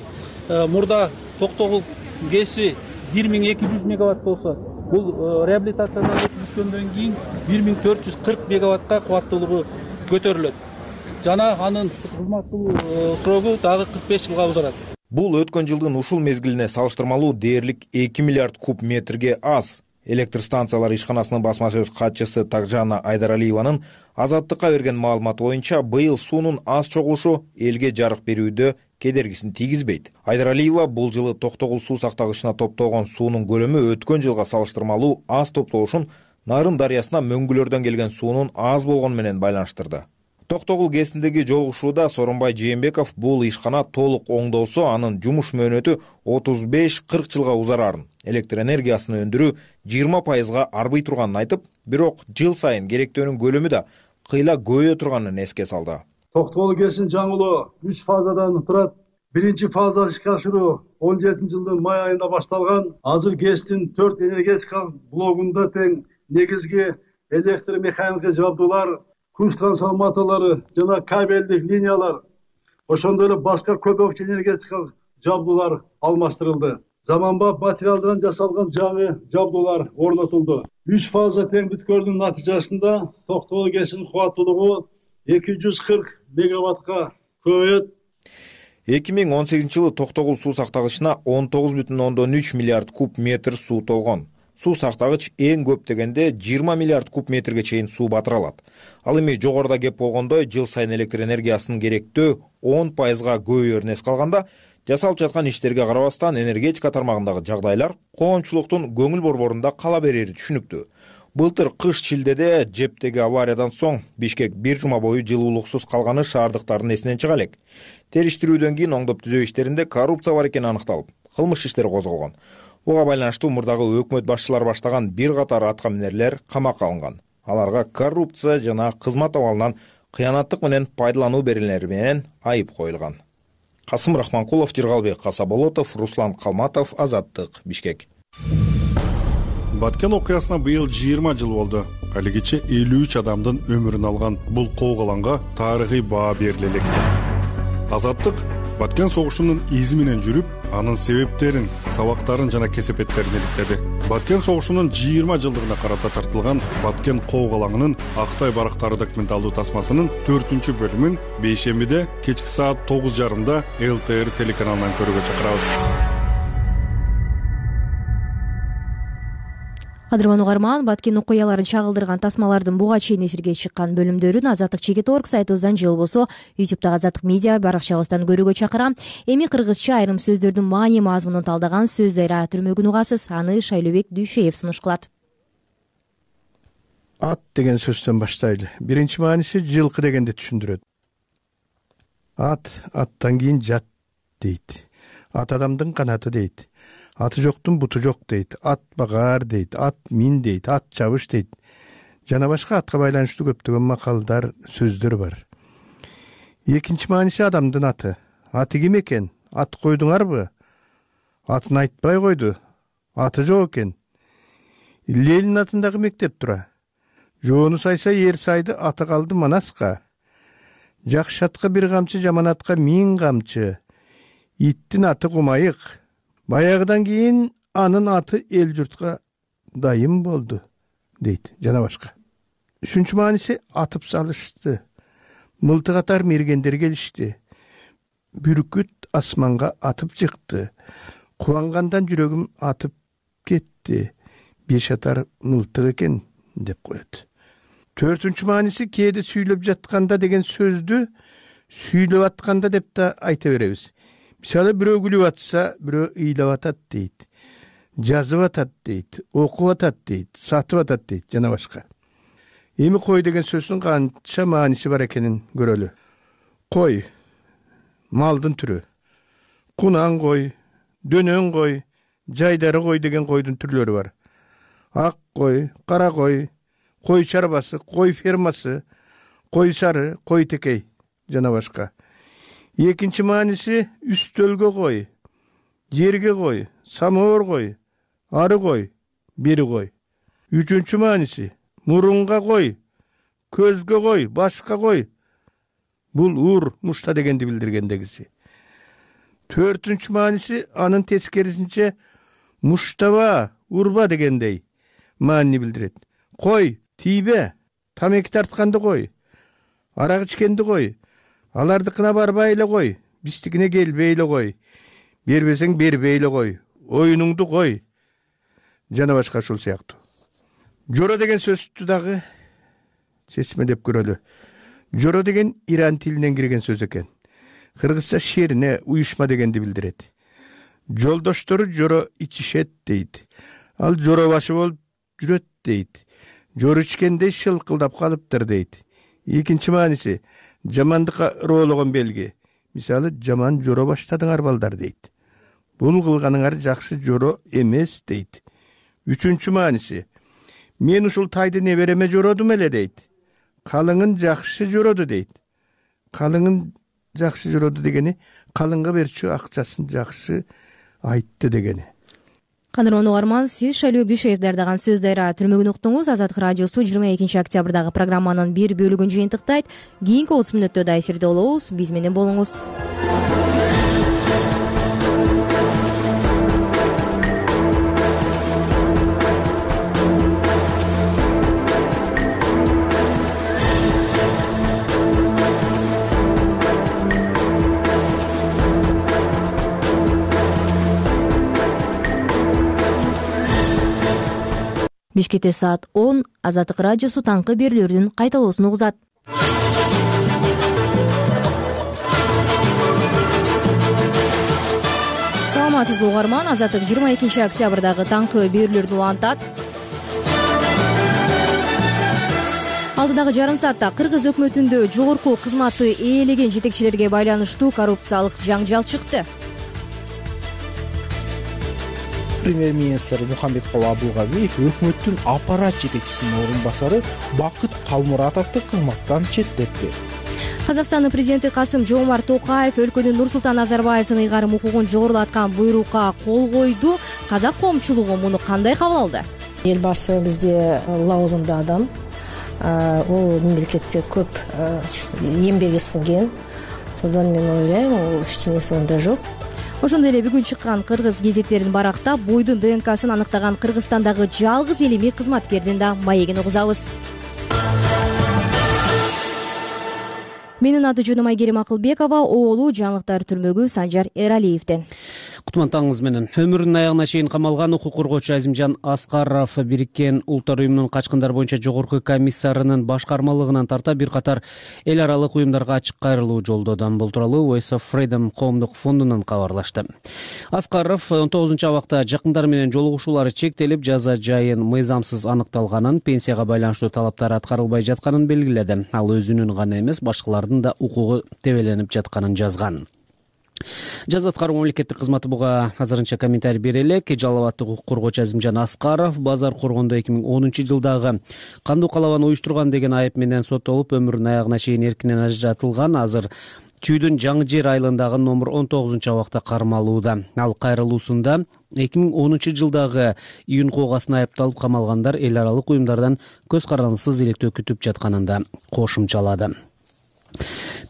Мурда Токтогул ГЭСи бир миң эки жүз мегаватт болсо, бул реабилитациядан өткөндөн кийин бир миң төрт жүз кырк мегаваттка кубаттуулугу көтөрүлөт. Жана анын кызматтуу срогу дагы кырк беш жылга узарат. Бул өткөн жылдын ушул мезгилине салыштырмалуу дээрлик эки миллиард куб метрге аз. Электр станциялар ишканасынын басма сөз катчысы Такжана Айдаралиеванын Азаттыкка берген маалыматы боюнча быйыл суунун аз чогулушу элге жарык берүүдө кедергисин тийгизбейт. Айдаралиева бул жылы Токтогул суу сактагычына топтолгон суунун көлөмү өткөн жылга салыштырмалуу аз топтолушун Нарын дарыясына мөңгүлөрдөн келген суунун аз болгону менен байланыштырды. Токтогул ГЭСиндеги жолугушууда Сооронбай Жээнбеков бул ишкана толук оңдолсо, анын жумуш мөөнөтү отуз беш кырк жылга узарарын, электр энергиясын өндүрүү жыйырма пайызга арбый турганын айтып, бирок жыл сайын керектөөнүн көлөмү да кыйла көбөйө турганын эске салды. Токтогул ГЭСинин жаңылоо үч фазадан турат. биринчи фаза ишке ашыруу он жетинчи жылдын май айында башталган. Азыр ГЭСтин төрт энергетикалык блогунда тең негизги электр механикалык жабдуулар, күч трансформаторлору жана кабелдик линиялар, ошондой эле башка көбөкчө энергетикалык жабдуулар алмаштырылды. Заманбап материалдан жасалган жаңы жабдуулар орнотулду. үч фаза тең бүткөрүүнүн натыйжасында Токтогул ГЭСинин кубаттуулугу эки жүз кырк мегаваттка көбөйөт. эки миң он сегизинчи жылы Токтогул суу сактагычына он тогуз бүтүн ондон үч миллиард куб метр суу толгон. Суу сактагыч эң көп дегенде жыйырма миллиард куб метрге чейин суу батыра алат. Ал эми жогоруда кеп болгондой жыл сайын электр энергиясынын керектөө он пайызга көбөйөрүн эске алганда, жасалып жаткан иштерге карабастан энергетика тармагындагы жагдайлар коомчулуктун көңүл борборунда кала берери түшүнүктүү. Былтыр кыш шилдеде Жептеги авариядан соң Бишкек бир жума бою жылуулуксуз калганы шаардыктардын эсинен чыга элек. Териштирүүдөн кийин оңдоп түзөө иштеринде коррупция бар экени аныкталып, кылмыш иштери козголгон. Буга байланыштуу мурдагы өкмөт башчылары баштаган бир катар атка минерлер камакка алынган. Аларга коррупция жана кызмат абалынан кыянаттык менен пайдалануу беренелери менен айып коюлган. Касым Рахманкулов, Жыргалбек Касаболотов, Руслан Калматов, Азаттык, Бишкек. Баткен окуясына быйыл жыйырма жыл болду. Алигиче элүү үч адамдын өмүрүн алган бул коогаланга тарыхый баа бериле элек. Азаттык Баткен согушунун изи менен жүрүп, анын себептерин, сабактарын жана кесепеттерин иликтеди. Баткен согушунун жыйырма жылдыгына карата тартылган Баткен коогалаңынын Актай барактары документалдуу тасмасынын төртүнчү бөлүмүн бейшембиде кечки саат тогуз жарымда эл тэ эр телеканалынан көрүүгө чакырабыз. Кадырман угарман, Баткен окуяларын чагылдырган тасмалардын буга чейин эфирге чыккан бөлүмдөрүн Азаттык чекит орг сайтыбыздан же болбосо ютубтагы Азаттык медиа баракчабыздан көрүүгө чакырам. Эми кыргызча айрым сөздөрдүн маани мазмунун талдаган сөз айра түрмөгүн угасыз. Аны Шайлообек Дүйшеев сунуш кылат. Ат деген сөздөн баштайлы. Биринчи мааниси жылкы дегенди түшүндүрөт. Ат аттан кийин жат дейт. Ат адамдын канаты дейт. Аты жоктун буту жок дейт. Ат багаар дейт. Ат мин дейт. Ат чабыш дейт. Жана башка атка байланыштуу көптөгөн макалдар, сөздөр бар. Экинчи мааниси адамдын аты. Аты ким экен? Ат койдуңарбы? Атын айтпай койду. Аты жок экен. Ленин атындагы мектеп тура. Жоону сайса ер сайды, аты калды Манаска. Жакшы атка бир камчы, жаман атка миң камчы. Иттин аты Кумайык. Баягыдан кийин анын аты эл журтка дайым болду, дейт, жана башка. Үчүнчү мааниси атып салышты. Мылтык атар мергендер келишти. Бүркүт асманга атып чыкты. Кубангандан жүрөгүм атып кетти. Беш атар мылтык экен, деп коет. Төртүнчү мааниси кээде сүйлөп жатканда деген сөздү сүйлөп атканда деп да айта беребиз. Мисалы бирөө күлүп атса, бирөө ыйлап атат дейт. Жазып атат дейт, окуп атат дейт, сатып атат дейт, жана башка. Эми кой деген сөздүн канча мааниси бар экенин көрөлү. Кой малдын түрү. Кунан кой, дөнөн кой, жайдары кой деген койдун түрлөрү бар. Ак кой, кара кой, кой чарбасы, кой фермасы, кой сары, кой текей, жана башка. Экинчи мааниси үстөлгө кой, жерге кой, самоор кой, ары кой, бери кой. Үчүнчү мааниси мурунга кой, көзгө кой, башка кой. Бул ур, мушта дегенди билдиргендегиси. Төртүнчү мааниси анын тескерисинче муштаба, урба дегендей маани билдирет. Кой, тийбе, тамеки тартканды кой, арак ичкенди кой. Алардыкына барбай эле кой, биздикине келбей эле кой. Бербесең бербей эле кой, оюнуңду кой. Жана башка ушул сыяктуу. Жоро деген сөздү дагы чечмелеп көрөлү. Жоро деген иран тилинен кирген сөз экен. Кыргызча шерине, уюшма дегенди билдирет. Жолдоштору жоро ичишет дейт. Ал жоро башы болуп жүрөт дейт. Жоро ичкенде шылкылдап калыптыр дейт. Экинчи мааниси жамандыкка ыроологон белги. Мисалы, жаман жоро баштадыңар балдар дейт. Бул кылганыңар жакшы жоро эмес дейт. Үчүнчү мааниси мен ушул тайды небереме жородум эле дейт. Калыңын жакшы жороду дейт. Калыңын жакшы жороду дегени калыңга берчү акчасын жакшы айтты дегени. Кадырлуу угарман, сиз Шайлөөк Дүйшөев даярдаган сөз дайра түрмөгүн уктуңуз. Азаттык радиосу жыйырма экинчи октябрдагы программанын бир бөлүгүн жыйынтыктайт. Кийинки отуз мүнөттө да эфирде болобуз. Биз менен болуңуз. Бишкекте саат он. Азаттык радиосу таңкы берүүлөрдүн кайталоосун угузат. Саламатсызбы угарман, Азаттык жыйырма экинчи октябрдагы таңкы берүүлөрдү улантат. Алдыдагы жарым саатта Кыргыз өкмөтүндө жогорку кызматты ээлеген жетекчилерге байланыштуу коррупциялык жаңжал чыкты. Премьер-министр Мухаммедкулы Абылгазиев өкмөттүн аппарат жетекчисинин орун басары Бакыт Калмуратовду кызматтан четтетти. Казакстандын президенти Касым-Жомарт Токаев өлкөнүн Нурсултан Назарбаевдин ыйгарым укугун жогорулаткан буйрукка кол койду. Казак коомчулугу муну кандай кабыл алды? Элбасы бизде лауазымдуу адам. Ол мемлекетте көп эмбеги сиңген. Содан мен ойлойм, ол эчтенеси онда жок. Ошондой эле бүгүн чыккан кыргыз гезеттерин барактап, бойдун ДНКсын аныктаган Кыргызстандагы жалгыз элеми кызматкердин да маегин угузабыз. Менин аты жөнүм Айгерим Акылбекова, оолу жаңылыктар түрмөгү Санжар Эралиевден. Кутмантаңыз менен. Өмүрүнүн аягына чейин камалган укук коргоочу Азимжан Аскаров Бириккен Улуттар уюмунун качкындар боюнча жогорку комиссарынын башкармалыгынан тарта бир катар эл аралык уюмдарга ачык кайрылуу жолдоду. Бул тууралуу Voice of Freedom коомдук фондунан кабарлашты. Аскаров он тогузунчу абакта жакындары менен жолугушуулары чектелип, жаза жайын мыйзамсыз аныкталганын, пенсияга байланыштуу талаптар аткарылбай жатканын белгиледи. Ал өзүнүн гана эмес, башкалардын да укугу тебеленип жатканын жазган. Жаза аткаруу мамлекеттик кызматы буга азырынча комментарий бере элек. Жалал абаддык укук коргоочу Азимжан Аскаров базар коргондо эки миң онунчу жылдагы кандуу калабаны уюштурган деген айып менен соттолуп, өмүрүнүн аягына чейин эркинен ажыратылган. Азыр Чүйдүн Жаңы Жер айылындагы номер он тогузунчу абакта кармалууда. Ал кайрылуусунда эки миң онунчу жылдагы июнь куугасына айыпталып камалгандар эл аралык уюмдардан көз карандысыз иликтөө күтүп жатканын да кошумчалады.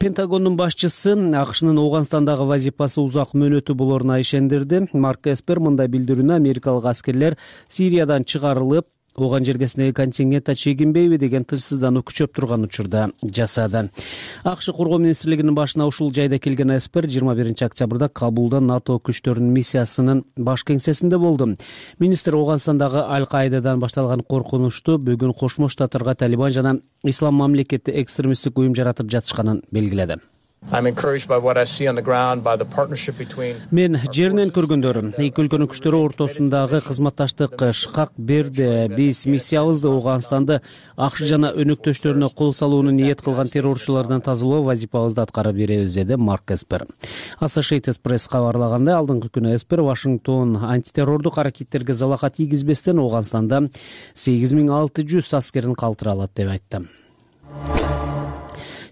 Пентагондун башчысы АКШнын Ооганстандагы вазифасы узак мөөнөтү болоруна ишендирди. Марк Эспер мындай билдирүүнү америкалык аскерлер Сириядан чыгарылып, Ооган жергесиндеги контингентте чегинбейби деген тынчсыздануу күчөп турган учурда жасады. АКШ коргоо министрлигинин башына ушул жайда келген Эспер жыйырма биринчи октябрда Кабулда НАТО күчтөрүнүн миссиясынын баш кеңсесинде болду. Министр Ооганстандагы Аль-Каидадан башталган коркунучту бүгүн Кошмо Штаттарга Талибан жана Ислам мамлекети экстремисттик уюм жаратып жатышканын белгиледи. Мен жеринен көргөндөр, эки өлкөнүн күчтөрү ортосундагы кызматташтык шкак берди. Биз миссиябызды Ооганстанды АКШ жана өнөктөштөрүнө кол салууну ниет кылган террорчулардан тазалоо вазифабызды аткара беребиз, деди Марк Эспер. Associated Press кабарлагандай, алдыңкы күнү Эспер Вашингтон антитеррордук аракеттерге залака тийгизбестен Ооганстанда сегиз миң алты жүз аскерин калтыра алат деп айтты.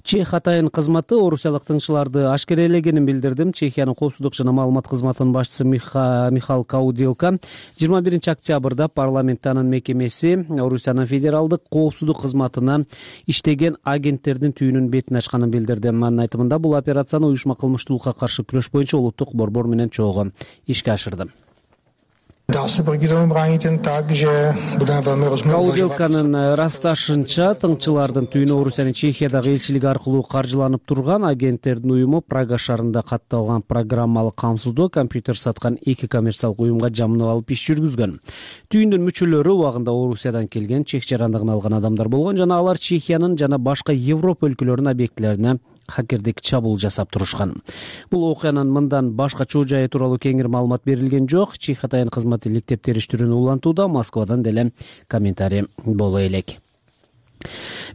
Чех атайын кызматы орусиялык тыңчыларды ашкерелегенин билдирди. Чехиянын коопсуздук жана маалымат кызматынын башчысы Михал Каудилка жыйырма биринчи октябрда парламенттин мекемеси Орусиянын федералдык коопсуздук кызматына иштеген агенттердин түйүнүн бетин ачканын билдирди. Анын айтымында бул операцияны уюшма кылмыштуулукка каршы күрөш боюнча улуттук борбор менен чогуу ишке ашырды. Каудилканын ырасташынча, тыңчылардын түйүнү Орусиянын Чехиядагы элчилиги аркылуу каржыланып турган агенттердин уюму Прага шаарында катталган программалык камсыздоо компьютер саткан эки коммерциялык уюмга жамынып алып иш жүргүзгөн. Түйүндүн мүчөлөрү убагында Орусиядан келген, чех жарандыгын алган адамдар болгон жана алар Чехиянын жана башка Европа өлкөлөрүнүн объектилерине хакердик чабуул жасап турушкан. Бул окуянын мындан башка чоо жайы тууралуу кеңири маалымат берилген жок. Чех атайын кызматы иликтеп териштирүүнү улантууда. Москвадан деле комментарий боло элек.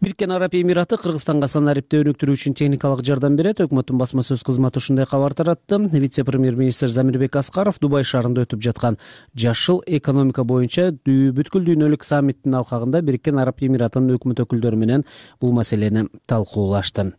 Бириккен Араб Эмираты Кыргызстанга санариптти өнүктүрүү үчүн техникалык жардам берет. Өкмөттүн басма сөз кызматы ушундай кабар таратты. Вице-премьер-министр Замирбек Аскаров Дубай шаарында өтүп жаткан жашыл экономика боюнча бүткүл дүйнөлүк саммиттин алкагында Бириккен Араб Эмиратынын өкмөт өкүлдөрү менен бул маселени талкуулашты.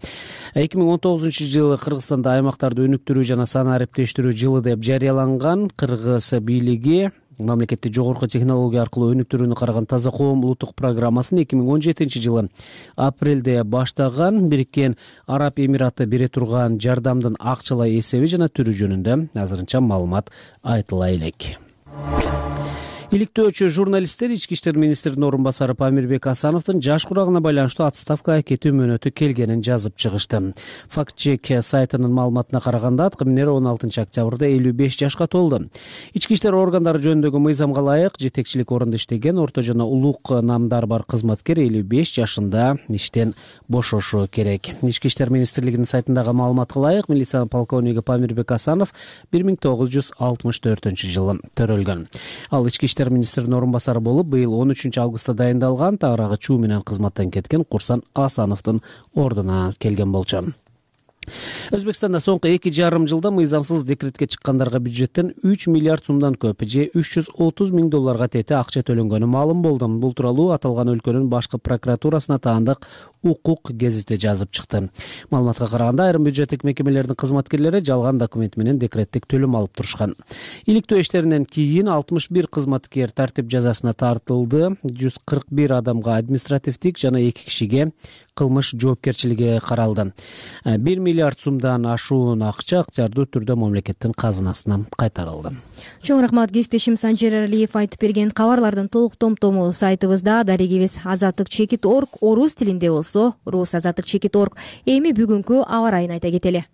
эки миң он тогузунчу жылы Кыргызстанда аймактарды өнүктүрүү жана санариптештирүү жылы деп жарыяланган. Кыргыз бийлиги мамлекетти жогорку технология аркылуу өнүктүрүүнү караган Таза коом улуттук программасын эки миң он жетинчи жылы апрелде баштаган. Бириккен Араб Эмираты бере турган жардамдын акчалай эсеби жана түрү жөнүндө азырынча маалымат айтыла элек. Иликтөөчү журналисттер ички иштер министринин орун басары Памирбек Асановдун жаш курагына байланыштуу отставкага кетүү мөөнөтү келгенин жазып чыгышты. Фактчек сайтынын маалыматына караганда аткаминер он алтынчы октябрда элүү беш жашка толду. Ички иштер органдары жөнүндөгү мыйзамга ылайык жетекчилик орунда иштеген орто жана улук намдар бар кызматкер элүү беш жашында иштен бошошу керек. Ички иштер министрлигинин сайтындагы маалыматка ылайык милиция полковниги Памирбек Асанов бир миң тогуз жүз алтымыш төртүнчү жылы төрөлгөн. Ал ички иштер министринин орун басары болуп, быйыл он үчүнчү августта дайындалган, тагыраагы чуу менен кызматтан кеткен Курсан Асановдун ордуна келген болчу. Өзбекстанда соңку эки жарым жылда мыйзамсыз декретке чыккандарга бюджеттен үч миллиард сумдан көп же үч жүз отуз миң долларга тете акча төлөнгөнү маалым болду. Бул тууралуу аталган өлкөнүн башкы прокуратурасына таандык Укук гезити жазып чыкты. Маалыматка караганда айрым бюджеттик мекемелердин кызматкерлери жалган документ менен декреттик төлөм алып турушкан. Иликтөө иштеринен кийин алтымыш бир кызматкер тартип жазасына тартылды. жүз кырк бир адамга административдик жана эки кишиге кылмыш жоопкерчилиги каралды. бир миллиард сумдан ашуун акча ыктыярдуу түрдө мамлекеттин казынасына кайтарылды. Чоң рахмат, кесиптешим Санжер Алиев айтып берген кабарлардын толук том-тому сайтыбызда. Дарегибиз азаттык чекит точка орг орус тилинде болсо, рус азаттык чекит точка орг. Эми бүгүнкү аба ырайын айта кетели.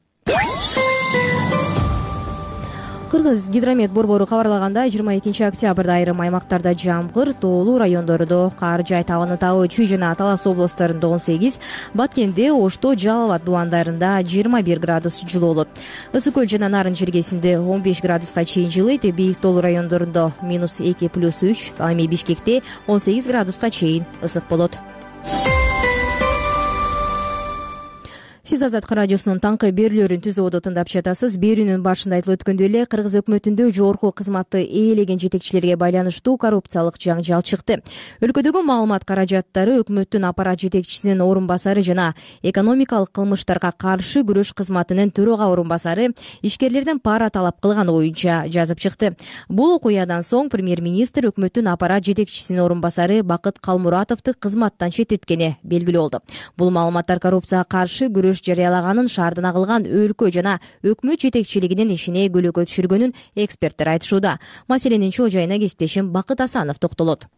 Кыргыз гидромет борбору кабарлагандай, жыйырма экинчи октябрда айрым аймактарда жамгыр, тоолуу райондордо кар жай табаны табы Чүй жана Талас областтарында он сегиз, Баткенде, Ошто, Жалал Абад дубандарында жыйырма бир градус жылуу болот. Ысык көл жана Нарын жергесинде он беш градуска чейин жылыйт, бийик тоолуу райондорунда минус эки плюс үч, ал эми Бишкекте он сегиз градуска чейин ысык болот. Сиз Азаттык радиосунун таңкы берүүлөрүн Түз ободо тыңдап жатасыз. Берүүнүн башында айтылып өткөндөй эле, Кыргыз өкмөтүндө жогорку кызматты ээлеген жетекчилерге байланыштуу коррупциялык жаңжал чыкты. Өлкөдөгү маалымат каражаттары өкмөттүн аппарат жетекчисинин орун басары жана экономикалык кылмыштарга каршы күрөш кызматынын төрага орун басары ишкерлерден пара талап кылганы боюнча жазып чыкты. Бул окуядан соң премьер-министр өкмөттүн аппарат жетекчисинин орун басары Бакыт Калмуратовду кызматтан четтеткени белгилүү болду. Бул маалыматтар коррупцияга каршы күрөш жарыялаганын, шаардан агылган өлкө жана өкмөт жетекчилигинин ишине көлөкө түшүргөнүн эксперттер айтышууда. Маселенин чоо жайына кесиптешим Бакыт Асанов токтолот.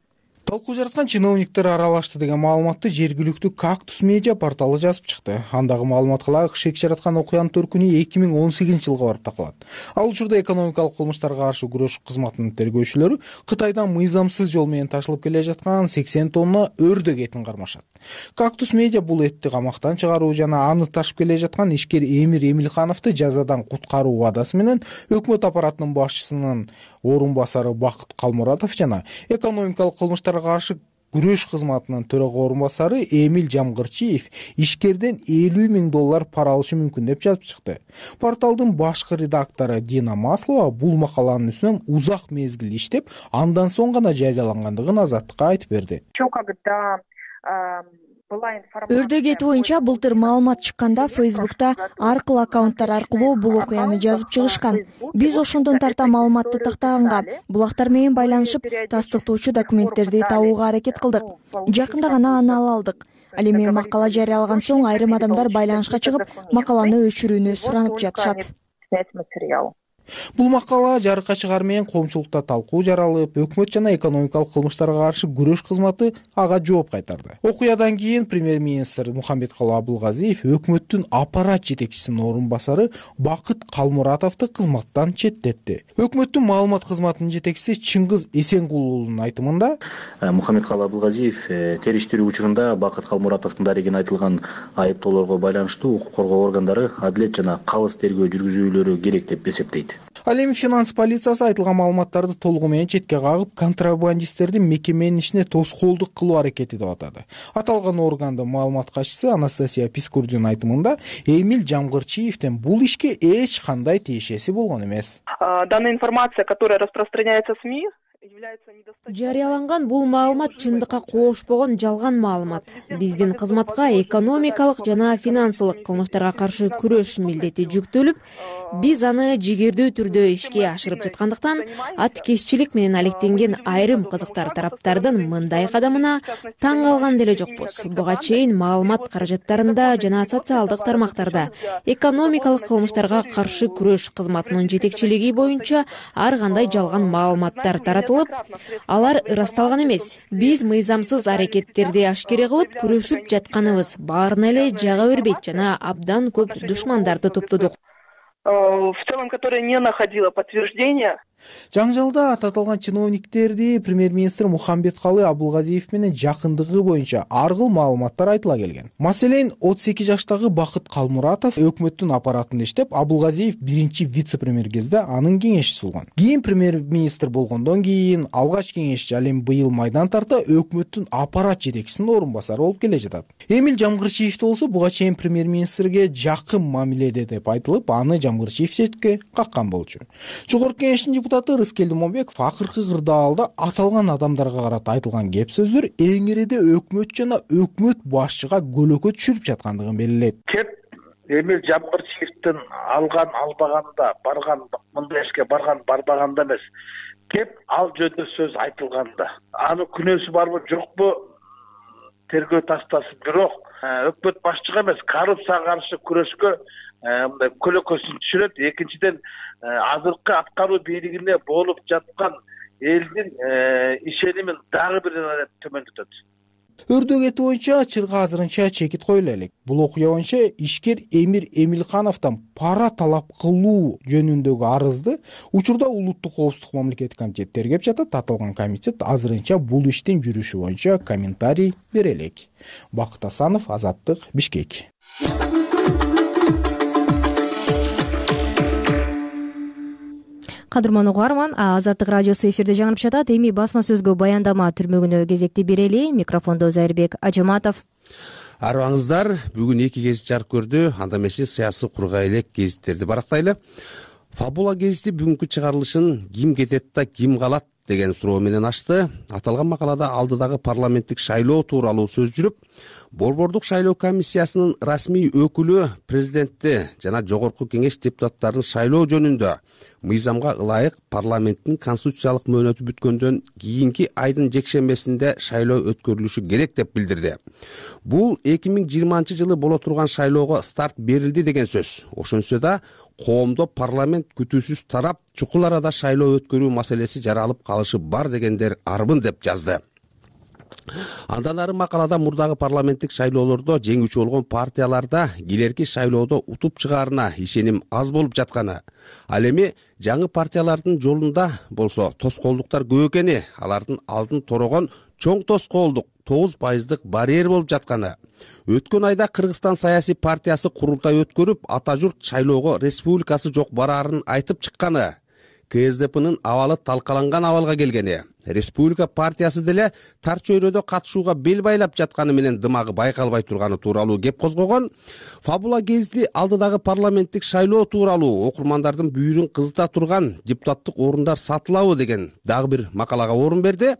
Талкуу жараткан чиновниктер аралашты деген маалыматты жергиликтүү Кактус медиа порталы жазып чыкты. Андагы маалыматка ылайык, шек жараткан окуянын төркүнү эки миң он сегизинчи жылга барып такалат. Ал учурда экономикалык кылмыштарга каршы күрөш кызматынын тергөөчүлөрү Кытайдан мыйзамсыз жол менен ташылып келе жаткан сексен тонна өрдөк этин кармашат. Кактус медиа бул этти камактан чыгаруу жана аны ташып келе жаткан ишкер Эмир Эмилхановду жазадан куткаруу убадасы менен өкмөт аппаратынын башчысынын орун басары Бакыт Калмуратов жана экономикалык кылмыштарга каршы күрөш кызматынын төрага орун басары Эмил Жамгырчиев ишкерден элүү миң доллар пара алышы мүмкүн деп жазып чыкты. Порталдын башкы редактору Дина Маслова бул макаланын үстүнөн узак мезгил иштеп, андан соң гана жарыялангандыгын Азаттыкка айтып берди. Өрдөк эти боюнча былтыр маалымат чыкканда Фейсбукта аркыл аккаунттар аркылуу бул окуяны жазып чыгышкан. Биз ошондон тарта маалыматты тактаганга, булактар менен байланышып, тастыктоочу документтерди табууга аракет кылдык. Жакында гана аны ала алдык. Ал эми макала жарыялаган соң айрым адамдар байланышка чыгып, макаланы өчүрүүнү суранып жатышат. Бул макала жарыкка чыгар менен коомчулукта талкуу жаралып, өкмөт жана экономикалык кылмыштарга каршы күрөш кызматы ага жооп кайтарды. Окуядан кийин премьер-министр Мухаммедкалый Абылгазиев өкмөттүн аппарат жетекчисинин орун басары Бакыт Калмуратовду кызматтан четтетти. Өкмөттүн маалымат кызматынын жетекчиси Чыңгыз Эсенгулулунун айтымында, Мухаммедкалый Абылгазиев териштирүү учурунда Бакыт Калмуратовдун дарегин айтылган айыптоолорго байланыштуу укук коргоо органдары адилет жана калыс тергөө жүргүзүүлөрү керек деп эсептейт. Ал эми финанс полициясы айтылган маалыматтарды толугу менен четке кагып, контрабандисттердин мекеменин ишине тоскоолдук кылуу аракети деп атады. Аталган органдын маалымат катчысы Анастасия Пискурдинин айтымында, Эмиль Жамгырчиевдин бул ишке эч кандай тиешеси болгон эмес. Данная информация, которая распространяется в СМИ, жарыяланган бул маалымат чындыкка коошпогон жалган маалымат. Биздин кызматка экономикалык жана финансылык кылмыштарга каршы күрөш милдети жүктөлүп, биз аны жигердүү түрдө ишке ашырып жаткандыктан, аткезчилик менен алектенген айрым кызыктар тараптардын мындай кадамына таң калган деле жокпуз. Буга чейин маалымат каражаттарында жана социалдык тармактарда экономикалык кылмыштарга каршы күрөш кызматынын жетекчилиги боюнча ар кандай жалган маалыматтар таратылып, алар ырасталган эмес. Биз мыйзамсыз аракеттерди ашкере кылып күрөшүп жатканыбыз баарына эле жага бербейт жана абдан көп душмандарды топтодук. В целом, которая не находила подтверждения. Жаңжалда аталган чиновниктерди премьер-министр Мухамбеткалы Абулгазиев менен жакындыгы боюнча ар кыл маалыматтар айтыла келген. Маселен, отуз эки жаштагы Бакыт Калмуратов өкмөттүн аппаратында иштеп, Абулгазиев биринчи вице-премьер кезде анын кеңешчиси болгон. Кийин премьер-министр болгондон кийин алгач кеңешчи, ал эми быйыл майдан тарта өкмөттүн аппарат жетекчисинин орун басары болуп келе жатат. Эмиль Жамгырчиев болсо буга чейин премьер-министрге жакын мамиледе деп айтылып, аны Жамгырчиев четке каккан болчу. Жогорку кеңештин депутаты Рыскелди Момбеков акыркы кырдаалда аталган адамдарга карата айтылган кеп сөздөр эң ириде өкмөт жана өкмөт башчыга көлөкө түшүрүп жаткандыгын белгилейт. Кеп Эмиль Жамгырчиевдин алган албаганда, барган мындай ишке барган барбаганда эмес. Кеп ал жөнүндө сөз айтылганда. Аны күнөөсү барбы жокпу тергөө тастасын. Бирок өкмөт башчыга эмес, коррупцияга каршы күрөшкө мындай көлөкөсүн түшүрөт. Экинчиден, азыркы аткаруу бийлигине болуп жаткан элдин ишенимин дагы бир төмөндөтөт. Өрдөө кети боюнча чырга азырынча чекит коюла элек. Бул окуя боюнча ишкер Эмир Эмилхановдон пара талап кылуу жөнүндөгү арызды учурда Улуттук коопсуздук мамлекеттик комитети тергеп жатат. Аталган комитет азырынча бул иштин жүрүшү боюнча комментарий бере элек. Бакыт Асанов, Азаттык, Бишкек. Кадырман угарман, Азаттык радиосу эфирде жаңырып жатат. Эми басма сөзгө баяндама түрмөгүнө кезекти берели. Микрофондо Зайырбек Ажаматов. Арыбаңыздар, бүгүн эки гезит жарык көрдү. Анда эмесе саясий кургай элек гезиттерди барактайлы. Фабула гезити бүгүнкү чыгарылышын ким кетет да ким калат деген суроо менен ачты. Аталган макалада алдыдагы парламенттик шайлоо тууралуу сөз жүрүп, Борбордук шайлоо комиссиясынын расмий өкүлү президентти жана жогорку кеңеш депутаттарын шайлоо жөнүндө мыйзамга ылайык парламенттин конституциялык мөөнөтү бүткөндөн кийинки айдын жекшембесинде шайлоо өткөрүлүшү керек деп билдирди. Бул эки миң жыйырманчы жылы боло турган шайлоого старт берилди деген сөз. Ошентсе да коомдо парламент күтүүсүз тарап, чукул арада шайлоо өткөрүү маселеси жаралып калышы бар дегендер арбын деп жазды. Андан ары макалада мурдагы парламенттик шайлоолордо жеңүүчү болгон партияларда келерки шайлоодо утуп чыгаарына ишеним аз болуп жатканы, ал эми жаңы партиялардын жолунда болсо тоскоолдуктар көп экени, алардын алдын торогон чоң тоскоолдук тогуз пайыздык барьер болуп жатканы. Өткөн айда Кыргызстан саясий партиясы курултай өткөрүп, ата журт шайлоого республикасы жок бараарын айтып чыкканы, КСДПнын абалы талкаланган абалга келгени, республика партиясы деле тар чөйрөдө катышууга бел байлап жатканы менен дымагы байкалбай турганы тууралуу кеп козгогон. Фабула гезити алдыдагы парламенттик шайлоо тууралуу окурмандардын бүйүрүн кызыта турган депутаттык орундар сатылабы деген дагы бир макалага орун берди.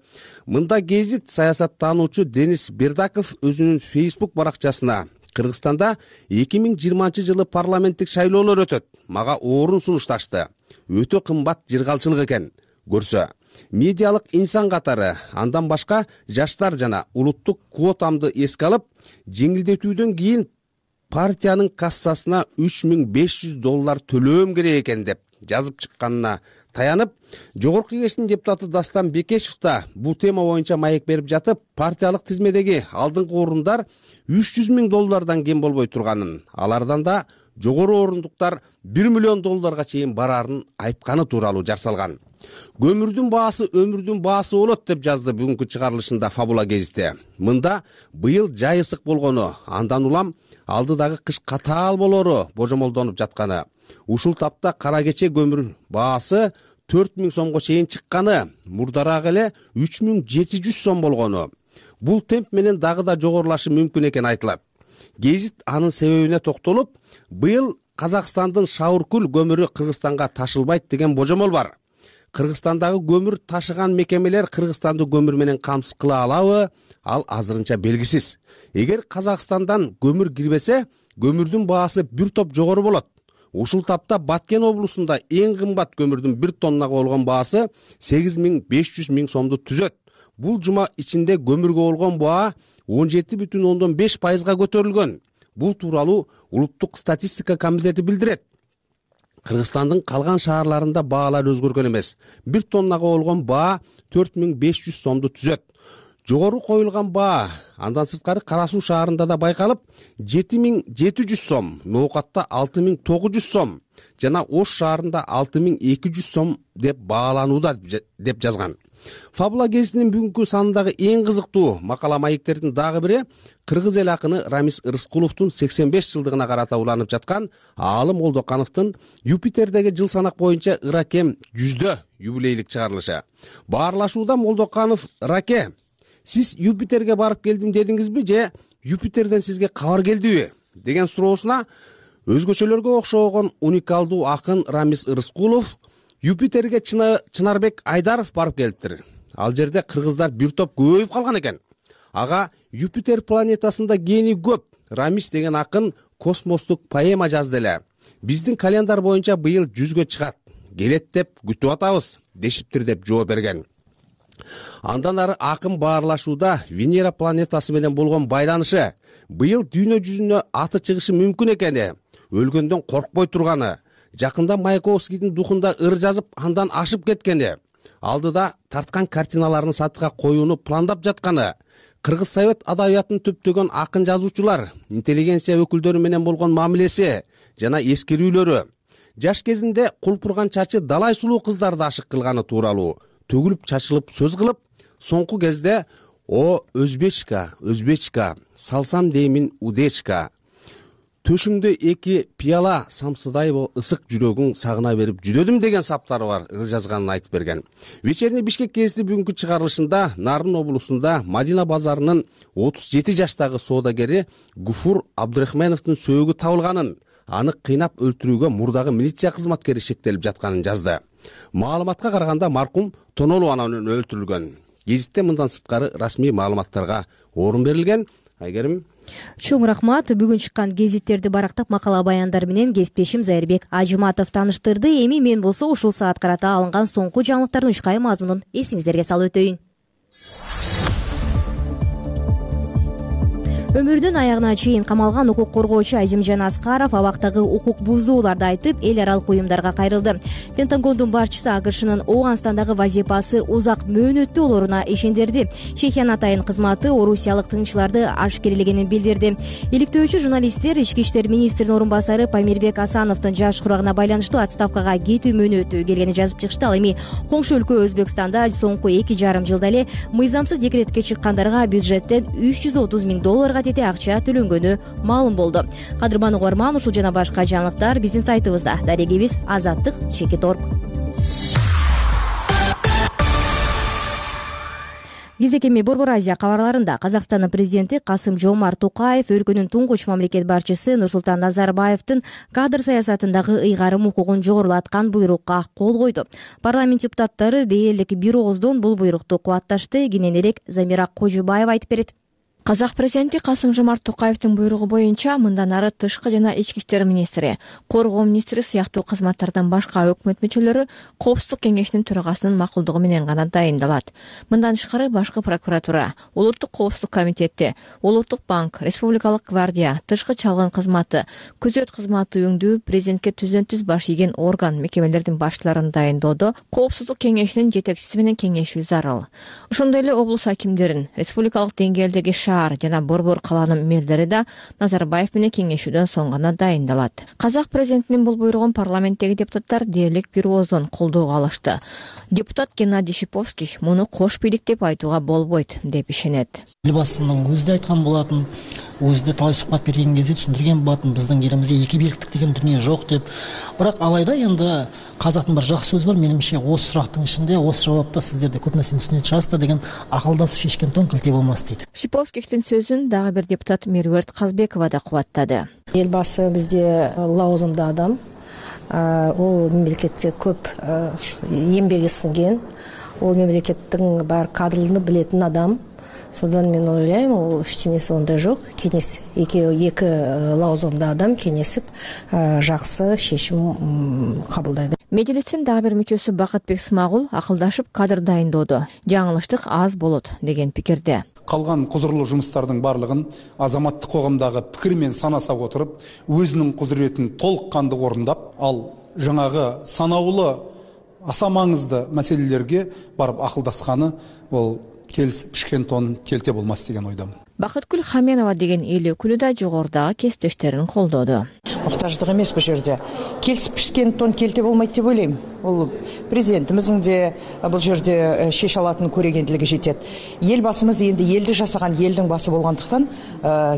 Мында гезит саясаттануучу Денис Бердаков өзүнүн Facebook баракчасына Кыргызстанда эки миң жыйырманчы жылы парламенттик шайлоолор өтөт, мага орун сунушташты. Өтө кымбат жыргалчылык экен. Көрсө, медиалык инсан катары, андан башка жаштар жана улуттук квотамды эске алып, жеңилдетүүдөн кийин партиянын кассасына үч миң беш жүз доллар төлөөм керек экен деп жазып чыкканына таянып, жогорку кеңештин депутаты Дастан Бекешев да бул тема боюнча маек берип жатып, партиялык тизмедеги алдыңкы орундар үч жүз миң доллардан кем болбой турганын, алардан да жогору орундуктар бир миллион долларга чейин барарын айтканы тууралуу жасалган. Көмүрдүн баасы өмүрдүн баасы болот деп жазды бүгүнкү чыгарылышында Фабула гезити. Мында быйыл жай ысык болгону, андан улам алдыдагы кыш катаал болору божомолдонуп жатканы, ушул тапта кара кече көмүр баасы төрт миң сомго чейин чыкканы, мурдараак эле үч миң жети жүз сом болгону. Бул темп менен дагы да жогорулашы мүмкүн экени айтылат. Гезит анын себебине токтолуп, быйыл Казакстандын Шауркул көмүрү Кыргызстанга ташылбайт деген божомол бар. Кыргызстандагы көмүр ташыган мекемелер Кыргызстанды көмүр менен камсыз кыла алабы? Ал азырынча белгисиз. Эгер Казакстандан көмүр кирбесе, көмүрдүн баасы бир топ жогору болот. Ушул тапта Баткен облусунда эң кымбат көмүрдүн бир тоннага болгон баасы сегиз миң беш жүз миң сомду түзөт. Бул жума ичинде көмүргө болгон баа он жети бүтүн ондон беш пайызга көтөрүлгөн. Бул тууралуу Улуттук статистика комитети билдирет. Кыргызстандын калган шаарларында баалар өзгөргөн эмес. бир тоннага болгон баа төрт миң беш жүз сомду түзөт. Жогору коюлган баа андан сырткары Кара Суу шаарында да байкалып, жети миң жети жүз сом, Ноокатта алты миң тогуз жүз сом жана Ош шаарында алты миң эки жүз сом деп бааланууда деп жазган. Фабула гезитинин бүгүнкү санындагы эң кызыктуу макала маектердин дагы бири кыргыз эл акыны Рамис Рыскуловдун сексен беш жылдыгына карата уланып жаткан Аалым Олдокановдун Юпитердеги жыл санак боюнча Ыракем жүздө юбилейлик чыгарылышы. Баарлашууда Молдоканов: Раке, сиз Юпитерге барып келдим дедиңизби же Юпитерден сизге кабар келдиби деген суроосуна өзгөчөлөргө окшогон уникалдуу акын Рамис Рыскулов: Юпитерге Чынарбек Айдаров барып келиптир. Ал жерде кыргыздар бир топ көбөйүп калган экен. Ага Юпитер планетасында гени көп Рамис деген акын космостук поэма жазды эле. Биздин календар боюнча быйыл жүзгө чыгат. Келет деп күтүп атабыз дешиптир деп жооп берген. Андан ары акын баарлашууда Венера планетасы менен болгон байланышы, быйыл дүйнө жүзүнө аты чыгышы мүмкүн экени, өлгөндөн коркпой турганы, жакында Маяковскийдин духунда ыр жазып андан ашып кеткени, алдыда тарткан картиналарын сатыга коюуну пландап жатканы, Кыргыз Совет адабиятын түптөгөн акын жазуучулар, интеллигенция өкүлдөрү менен болгон мамилеси жана эскерүүлөрү, жаш кезинде кулпурган чачы далай сулуу кыздарды ашык кылганы тууралуу төгүлүп чачылып сөз кылып, соңку кезде «О, өзбечка, өзбечка, салсам деймин удечка, төшүңдө эки пияла самсыдай ысык жүрөгүң сагына берип жүдөдүм» деген саптары бар ыр жазганын айтып берген. Вечерний Бишкек гезити бүгүнкү чыгарылышында Нарын облусунда Мадина базарынын отуз жети жаштагы соодагери Гуфур Абдырахмановдун сөөгү табылганын, аны кыйнап өлтүрүүгө мурдагы милиция кызматкери шектелип жатканын жазды. Маалыматка караганда маркум тонолуу анан өлтүрүлгөн. Гезитте мындан сырткары расмий маалыматтарга орун берилген. Айгерим, чоң рахмат. Бүгүн чыккан гезиттерди барактап макала баяндар менен кесиптешим Зайырбек Ажыматов тааныштырды. Эми мен болсо ушул саат карата алынган соңку жаңылыктардын учкай мазмунун эсиңиздерге салып өтөйүн. Өмүрүнүн аягына чейин камалган укук коргоочу Азимжан Аскаров абактагы укук бузууларды айтып, эл аралык уюмдарга кайрылды. Пентагондун башчысы АКШнын Ооганстандагы вазифасы узак мөөнөттүү болоруна ишендирди. Чехиянын атайын кызматы орусиялык тыңчыларды ашкерелегенин билдирди. Иликтөөчү журналисттер ички иштер министринин орун басары Памирбек Асановдун жаш курагына байланыштуу отставкага кетүү мөөнөтү келгенин жазып чыгышты. Ал эми коңшу өлкө Өзбекстанда соңку эки жарым жылда эле мыйзамсыз декретке чыккандарга бюджеттен үч жүз отуз миң долларга тете акча төлөнгөнү маалым болду. Кадырман угарман, ушул жана башка жаңылыктар биздин сайтыбызда. Дарегибиз азаттык чекит точка орг. Кезекеми Борбор Азия кабарларында Казакстандын президенти Касым-Жомарт Токаев өлкөнүн туңгуч мамлекет башчысы Нурсултан Назарбаевдин кадр саясатындагы ыйгарым укугун жогорулаткан буйрукка кол койду. Парламент депутаттары дээрлик бир ооздон бул буйрукту кубатташты. Кененирээк Замира Кожубаева айтып берет. Казак президенти Касым-Жомарт Токаевдин буйругу боюнча мындан ары тышкы жана ички иштер министри, коргоо министри сыяктуу кызматтардан башка өкмөт мүчөлөрү Коопсуздук кеңешинин төрагасынын макулдугу менен гана дайындалат. Мындан тышкары башкы прокуратура, Улуттук коопсуздук комитети, Улуттук банк, Республикалык гвардия, тышкы чалгын кызматы, күзөт кызматы өңдүү президентке түздөн түз баш ийген орган мекемелердин башчыларын дайындоодо Коопсуздук кеңешинин жетекчиси менен кеңешүү зарыл. Ошондой эле облус акимдерин, республикалык деңгээлдеги жана борбор калаанын мэрлери да Назарбаев менен кеңешүүдөн соң гана дайындалат. Казак президентинин бул буйругун парламенттеги депутаттар дээрлик бир ооздон колдоого алышты. Депутат Геннадий Шиповский муну кош бийлик деп айтууга болбойт деп ишенет. Элбасынын өзү да айткан болатын, өзүдө талай сухбат берген кезде түшүндүргөн болотмун, биздин элибизде эки бийликтик деген дүнүйө жок деп. Бирок алайда енді казактын бир жакшы сөзү бар, менимче осы сурактын ичинде, осы жаапта сиздерде көп нерсени түшүнө чыгасыз да деген, акылдасып шешкен тон кылте болмас дейт. Шиповскиктин сөзүн дагы бир депутат Меруерт Казбекова да кубаттады. Эл башы бизде лауазымдуу адам, ол мемлекетке көп эмбеги сиңген, ол мемлекеттин бар кадрлыгын билетин адам. Содан мен ойлойм, ол эчтенеси ондай жок. Кеңес эки эки лауазымдуу адам кеңесип жакшы чечим кабылдайт. Мejлистин дагы бир мүчөсү Бакытбек Смагул акылдашып кадр дайындоодо жаңылыштык аз болот деген пикирде. Калган кузурлуу жумуштардын баардыгын азаматтык коомдогу пикир менен санасак отуруп, өзүнүн кудуретин толук кандуу орундап, ал жаңагы санаулуу аса маңызды маселелерге барып акылдашканы ол келип пишкен тон келте болмас деген ойдомун. Бакыткүл Хаменова деген эл өкүлү да жогорудагы кесиптештерин колдоду. Муктаждык эмес бул жерде. Келип пишкен тон келте болмойт деп ойлойм. Бул президентимиздин де бул жерде шеше алатын көрөгендилиги жетет. Эл басымыз энди элди жасаган элдин басы болгондуктан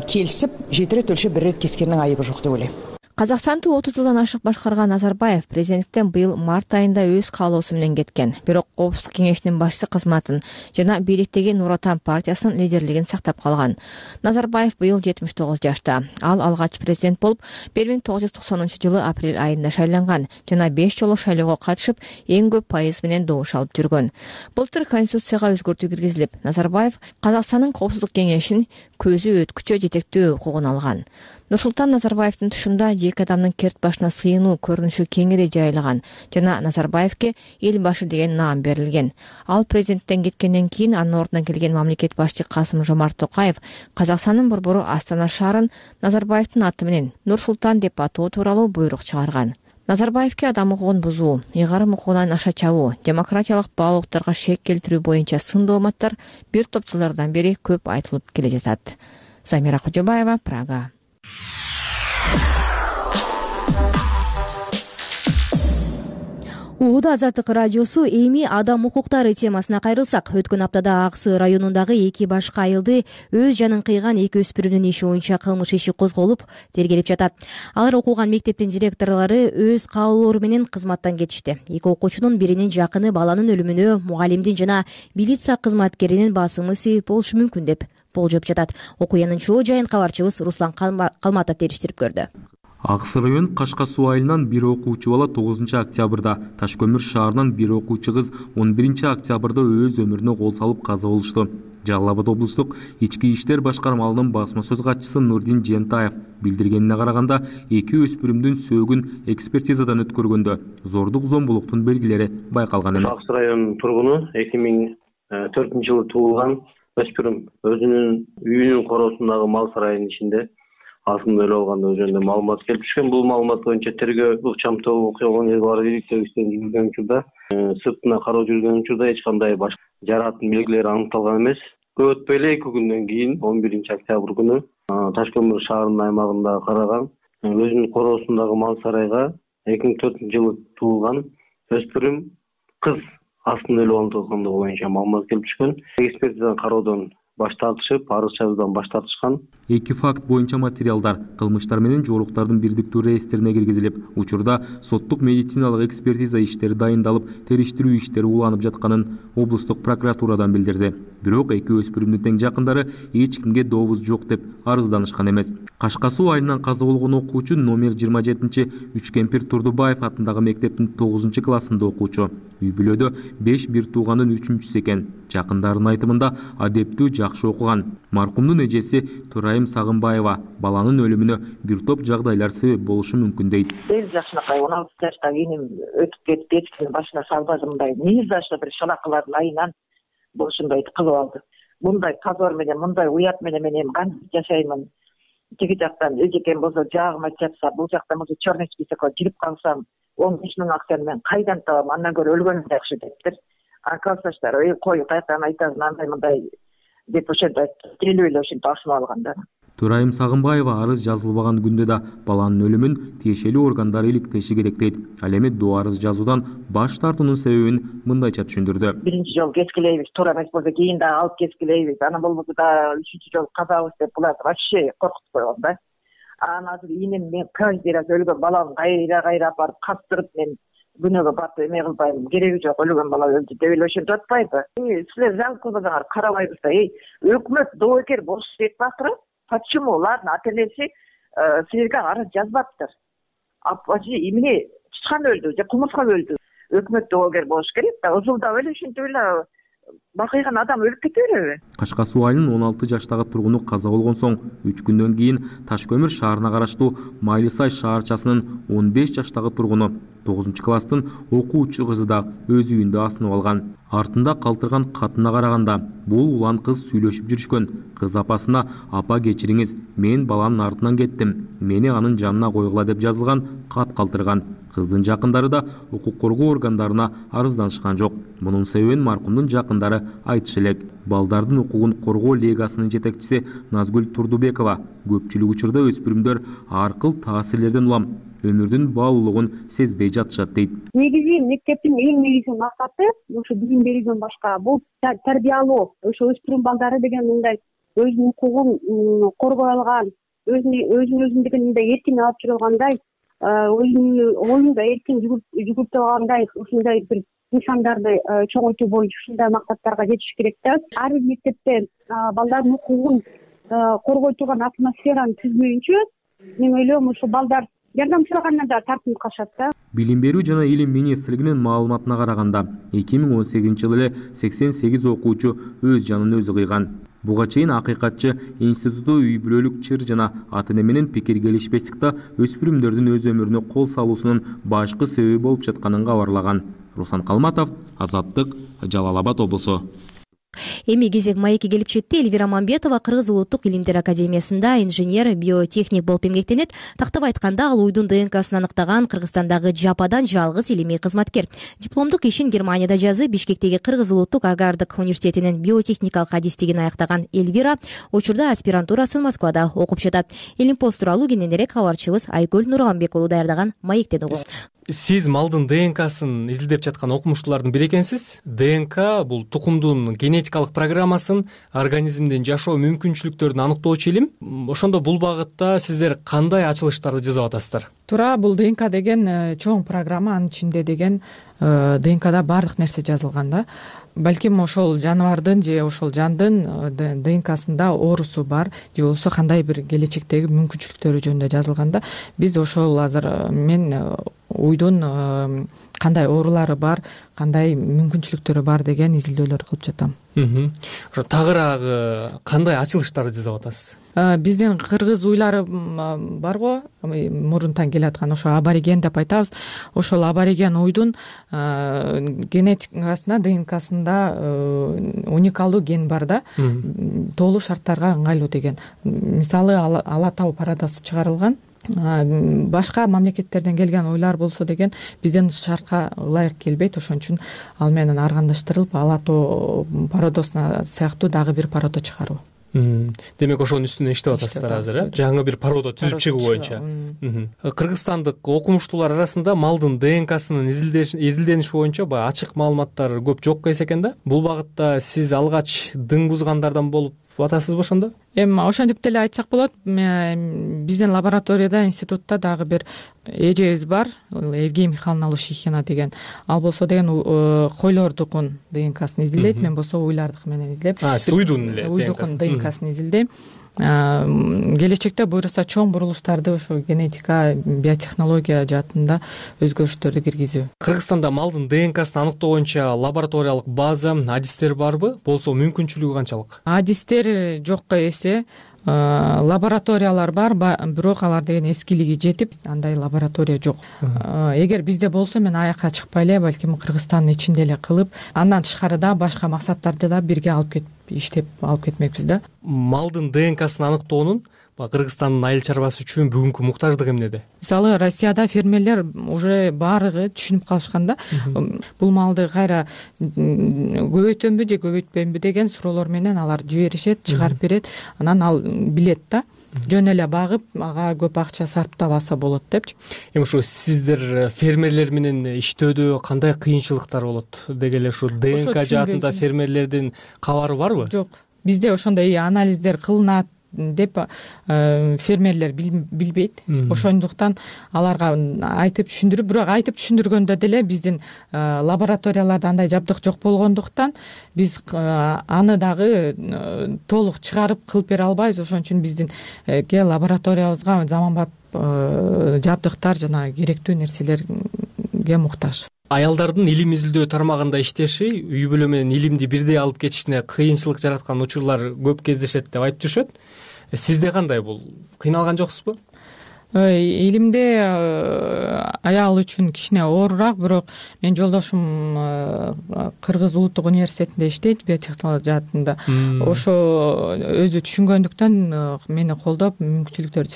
келисип жети рет өлчөп бир рет кескендин айыбы жок деп ойлойм. Казакстанды отуз жылдан ашык башкарган Назарбаев президенттен быйыл март айында өз каалоосу менен кеткен. Бирок Коопсуздук кеңешинин башчысы кызматын жана бийликтеги Нур Отан партиясынын лидерлигин сактап калган. Назарбаев быйыл жетимиш тогуз жашта. Ал алгач президент болуп бир миң тогуз жүз токсонунчу жылы апрель айында шайланган жана беш жолу шайлоого катышып, эң көп пайыз менен добуш алып жүргөн. Былтыр конституцияга өзгөртүү киргизилип, Назарбаев Казакстандын Коопсуздук кеңешин көзү өткүчө жетектөө укугун алган. Нурсултан Назарбаевдин тушунда эки адамдын керт башына сыйынуу көрүнүшү кеңири жайылган жана Назарбаевке эл башы деген наам берилген. Ал президенттен кеткенден кийин анын ордуна келген мамлекет башчы Касым Жомарт Токаев Казакстандын борбору Астана шаарын Назарбаевдин аты менен Нурсултан деп атоо тууралуу буйрук чыгарган. Назарбаевке адам укугун бузуу, ыйгарым укугунан аша чабуу, демократиялык баалуулуктарга шек келтирүү боюнча сын дооматтар бир топ жылдардан бери көп айтылып келе жатат. Замира Кожобаева, Прага. Оода Азаттык радиосу эми адам укуктары темасына кайрылсак, өткөн аптада Аксы районундагы эки башка айылды өз жанын кыйган эки өспүрүмдүн иши боюнча кылмыш иши козголуп, тергелип жатат. Алар окуган мектептин директорлору өз каалоолору менен кызматтан кетишти. Эки окуучунун биринин жакыны баланын өлүмүнө мугалимдин жана милиция кызматкеринин басымы себеп болушу мүмкүн деп болжоп жатат. Окуянын чоо жайын кабарчыбыз Руслан Калматов териштирип көрдү. Аксы район Кашка суу айылынан бир окуучу бала тогузунчу октябрда, Таш көмүр шаарынан бир окуучу кыз он биринчи октябрда өз өмүрүнө кол салып каза болушту. Жалал Абад облустук ички иштер башкармалыгынын басма сөз катчысы Нурдин Жентаев билдиргенине караганда, эки өспүрүмдүн сөөгүн экспертизадан өткөргөндө зордук зомбулуктун белгилери байкалган эмес. Аксы районунун тургуну эки миң төртүнчү жылы туулган өспүрүм өзүнүн үйүнүн короосундагы мал сарайынын ичинде асында өлүп алгандыгы жөнүндө маалымат келип түшкөн. Бул маалымат боюнча тергөө ыкчамдуу окуя болгон жер бар бийликтөө иштен жүргөн учурда, сыртына кароо жүргөн учурда эч кандай башка жарааттын белгилери аныкталган эмес. Көп өтпөй эле эки күндөн кийин он биринчи октябрь күнү Таш көмүр шаарынын аймагында караган өзүнүн короосундагы мал сарайга эки миң төртүнчү жылы туулган өспүрүм кыз астында өлүп алгандыгы боюнча маалымат келип түшкөн. Экспертизадан кароодон баш тартышып, арыз жазуудан баш тартышкан. Эки факт боюнча материалдар кылмыштар менен жоолуктардын бирдиктүү реестрине киргизилип, учурда соттук медициналык экспертиза иштери дайындалып, териштирүү иштери уланып жатканын облустук прокуратурадан билдирди. Бирок эки өспүрүмдүн тең жакындары эч кимге добуз жок деп арызданышкан эмес. Кашка суу айылынан каза болгон окуучу номер жыйырма жетинчи Үчкемпир Турдубаев атындагы мектептин тогузунчу классында окуучу. Үй бүлөдө беш бир туугандын үчүнчүсү экен. Жакындарынын айтымында адептүү жакшы окуган. Маркумдун эжеси Турайым Сагынбаева баланын өлүмүнө бир топ жагдайлар себеп болушу мүмкүн дейт. Бир жашынакай он алты жаштагы эним өтүп кетип эчкинин башына салбады, мындай негиз жашта бир шалакылардын айынан бул ушундай кылып алды. Мындай позор менен, мындай уят менен мен эми кантип жашаймын? Тиги жактан эжекем болсо жаагыма жатса, бул жактан болсо черный списокко кирип калсам, он беш миң акчаны мен кайдан табам? Андан көрө өлгөнүм жакшы дептир. Акалсаштар, ой, кой, каяктан айтасың, андай мындай деп ошентип келип эле ошентип ашынып алган да. Төрайым Сагынбаева арыз жазылбаган күндө да баланын өлүмүн тиешелүү органдар иликтеши керек дейт. Ал эми до арыз жазуудан баш тартуунун себебин мындайча түшүндүрдү. Биринчи жолу кескилейбиз, туура эмес болсо кийин дагы алып кескилейбиз. Анан болбосо да үчүнчү жолу казабыз деп буларды вообще коркутуп койгон да. Анан азыр инем мен каждый раз өлгөн баламды кайра кайра алып барып кастырып мен күнөөгө батып эме кылбайм, кереги жок, өлгөн бала өлдү деп эле ошентип атпайбы? Силер жалгыз кылбасаңар карабайбыз да. Эй, өкмөт доокер болуш керек баптыр. Почему? Ладно, ата энеси силерге арыз жазбаптыр. А эмне чычкан өлдү же кумурска өлдү? Өкмөт доокер болуш керек да. Узулдап эле ушинтип эле бакыйган адам өлүп кете береби? Кашка суу айылынын он алты жаштагы тургуну каза болгон соң үч күндөн кийин Таш көмүр шаарына караштуу Майлы Сай шаарчасынын он беш жаштагы тургуну тогузунчу класстын окуучу кызы да өз үйүндө асынып алган. Артында калтырган катына караганда бул улан кыз сүйлөшүп жүрүшкөн. Кыз апасына апа кечириңиз, мен баламдын артынан кеттим, мени анын жанына койгула деп жазылган кат калтырган. Кыздын жакындары да укук коргоо органдарына арызданышкан жок. Мунун себебин маркумдун жакындары айтышы элек. Балдардын укугун коргоо лигасынын жетекчиси Назгүл Турдубекова көпчүлүк учурда өспүрүмдөр ар кыл таасирлерден улам өмүрдүн баалуулугун сезбей жатышат дейт. Негизи мектептин эң негизги максаты ошо билим берүүдөн башка бул тарбиялоо. Ошо өспүрүм балдары деген мындай өзүнүн укугун коргой алган, өзүнүн өзүндүгүн мындай эркин алып жүрө алгандай, өзүнүн оюн да эркин жүгүртө алгандай ушундай бир нышандарды чоңойтуу боюнча ушундай максаттарга жетиш керек да. Ар бир мектепте балдардын укугун коргой турган атмосфераны түзмөйүнчө мен ойлойм ушул балдар жардам сурагандан да тартынып калышат да. Билим берүү жана илим министрлигинин маалыматына караганда эки миң он сегизинчи жылы эле сексен сегиз окуучу өз жанын өзү кыйган. Буга чейин акыйкатчы институту үй бүлөлүк чыр жана ата эне менен пикир келишпестикте өспүрүмдөрдүн өз өмүрүнө кол салуусунун башкы себеби болуп жатканын кабарлаган. Руслан Калматов, Азаттык, Жалал Абад облусу. Эми кезек маекке келип жетти. Элвира Мамбетова Кыргыз улуттук илимдер академиясында инженер, биотехник болуп эмгектенет. Тактап айтканда ал уйдун ДНКсын аныктаган Кыргызстандагы жападан жалгыз илимий кызматкер. Дипломдук ишин Германияда жазып, Бишкектеги Кыргыз улуттук агрардык университетинин биотехникалык адистигин аяктаган Элвира учурда аспирантурасын Москвада окуп жатат. Илим пост тууралуу кененирээк кабарчыбыз Айгүл Нурганбек уулу даярдаган маектен угубуз. Сиз малдын ДНКсын изилдеп жаткан окумуштуулардын бири экенсиз. ДНК бул тукумдун генетикалык программасын, организмдин жашоо мүмкүнчүлүктөрүн аныктоочу илим. Ошондо бул багытта сиздер кандай ачылыштарды жасап атасыздар? Туура, бул ДНК деген чоң программа, анын ичинде деген ДНКда баардык нерсе жазылган да. Балким ошол жаныбардын же ошол жандын ДНКсында оорусу бар же болбосо кандай бир келечектеги мүмкүнчүлүктөрү жөнүндө жазылган да. Биз ошол азыр мен уйдун кандай оорулары бар, кандай мүмкүнчүлүктөрү бар деген изилдөөлөрдү кылып жатам. Ошо тагыраагы кандай ачылыштарды жасап атасыз? Биздин кыргыз уйлары барго, мурунтан келаткан ошо абориген деп айтабыз. Ошол абориген уйдун генетикасына, ДНКсында уникалдуу ген бар да, тоолуу шарттарга ыңгайлуу деген. Мисалы Ала тау пародасы чыгарылган. Башка мамлекеттерден келген ойлар болсо деген биздин шартка ылайык келбейт, ошон үчүн ал менен аргандаштырылып Ала тоо пародосуна сыяктуу дагы бир пародо чыгаруу. Демек ошонун үстүнө иштеп атасыздар азыр, э? Жаңы бир пародо түзүп чыгуу боюнча. Кыргызстандык окумуштуулар арасында малдын ДНКсынын изилдениши боюнча баягы ачык маалыматтар көп жок эс экен да. Бул багытта сиз алгач дың бузгандардан болуп атасызбы ошондо? Эми ошентип деле айтсак болот. Биздин лабораторияда, институтта дагы бир эжебиз бар, Евгения Михайловна Лущихина деген. Ал болсо деген койлордукун ДНКсын изилдейт, мен болсо уйлардык менен изилдеп. А, сиз уйдун эле уйдукун ДНКсын изилдейм. Келечекте буюрса чоң бурулуштарды ошо генетика, биотехнология жаатында өзгөрүштөрдү киргизүү. Кыргызстанда малдын ДНКсын аныктоо боюнча лабораториялык база, адистер барбы? Болсо мүмкүнчүлүгү канчалык? Адистер жокко эсе, лабораториялар бар, бирок алар деген эскилиги жетип, андай лаборатория жок. Эгер бизде болсо мен аякка чыкпай эле, балким Кыргызстандын ичинде эле кылып, андан тышкарыда башка максаттарды да бирге алып кетип иштеп алып кетмекпиз да. Малдын ДНКсын аныктоонун Кыргызстандын айыл чарбасы үчүн бүгүнкү муктаждык эмнеде? Мисалы Россияда фермерлер уже баардыгы түшүнүп калышкан да, бул малды кайра көбөйтөмбү же көбөйтпөймбү деген суроолор менен алар жиберишет, чыгарып берет, анан ал билет да, жөн эле багып ага көп акча сарптабаса болот депчи. Эми ушу сиздер фермерлер менен иштөөдө кандай кыйынчылыктар болот деги эле ушу ДНК жаатында фермерлердин кабары барбы? Жок, бизде ошондой анализдер кылынат деп фермерлер билбейт. Ошондуктан аларга айтып түшүндүрүп, бирок айтып түшүндүргөндө деле биздин лабораторияларда андай жабдык жок болгондуктан биз аны дагы толук чыгарып кылып бере албайбыз. Ошон үчүн биздин лабораториябызга заманбап жабдыктар жана керектүү нерселерге муктаж. Аялдардын илим изилдөө тармагында иштеши үй бүлө менен илимди бирдей алып кетишине кыйынчылык жараткан учурлар көп кездешет деп айтып жүрүшөт. Сизде кандай бул? Кыйналган жоксузбу? Илимде аял үчүн кичине оорураак, бирок менин жолдошум Кыргыз улуттук университетинде иштейт, биотехнология жаатында. Ошо өзү түшүнгөндүктөн мени колдоп, мүмкүнчүлүктөр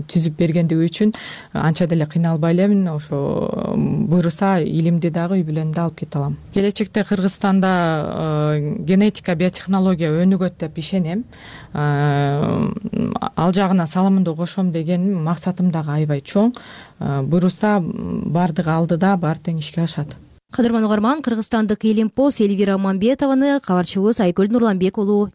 түзүп бергендиги үчүн анча деле кыйналбай элемин. Ошо буйруса илимди дагы үй бүлөмдү алып кете алам. Келечекте Кыргызстанда генетика, биотехнология өнүгөт деп ишенем. Ал жагына салымымды кошом деген максатым дагы аябай чоң. Буйруса баардыгы алдыда, баары тең ишке ашат. Кадырман угарман, кыргызстандык Элимпос Эльвира Мамбетованы кабарчыбыз Айкөл Нурланбек уулу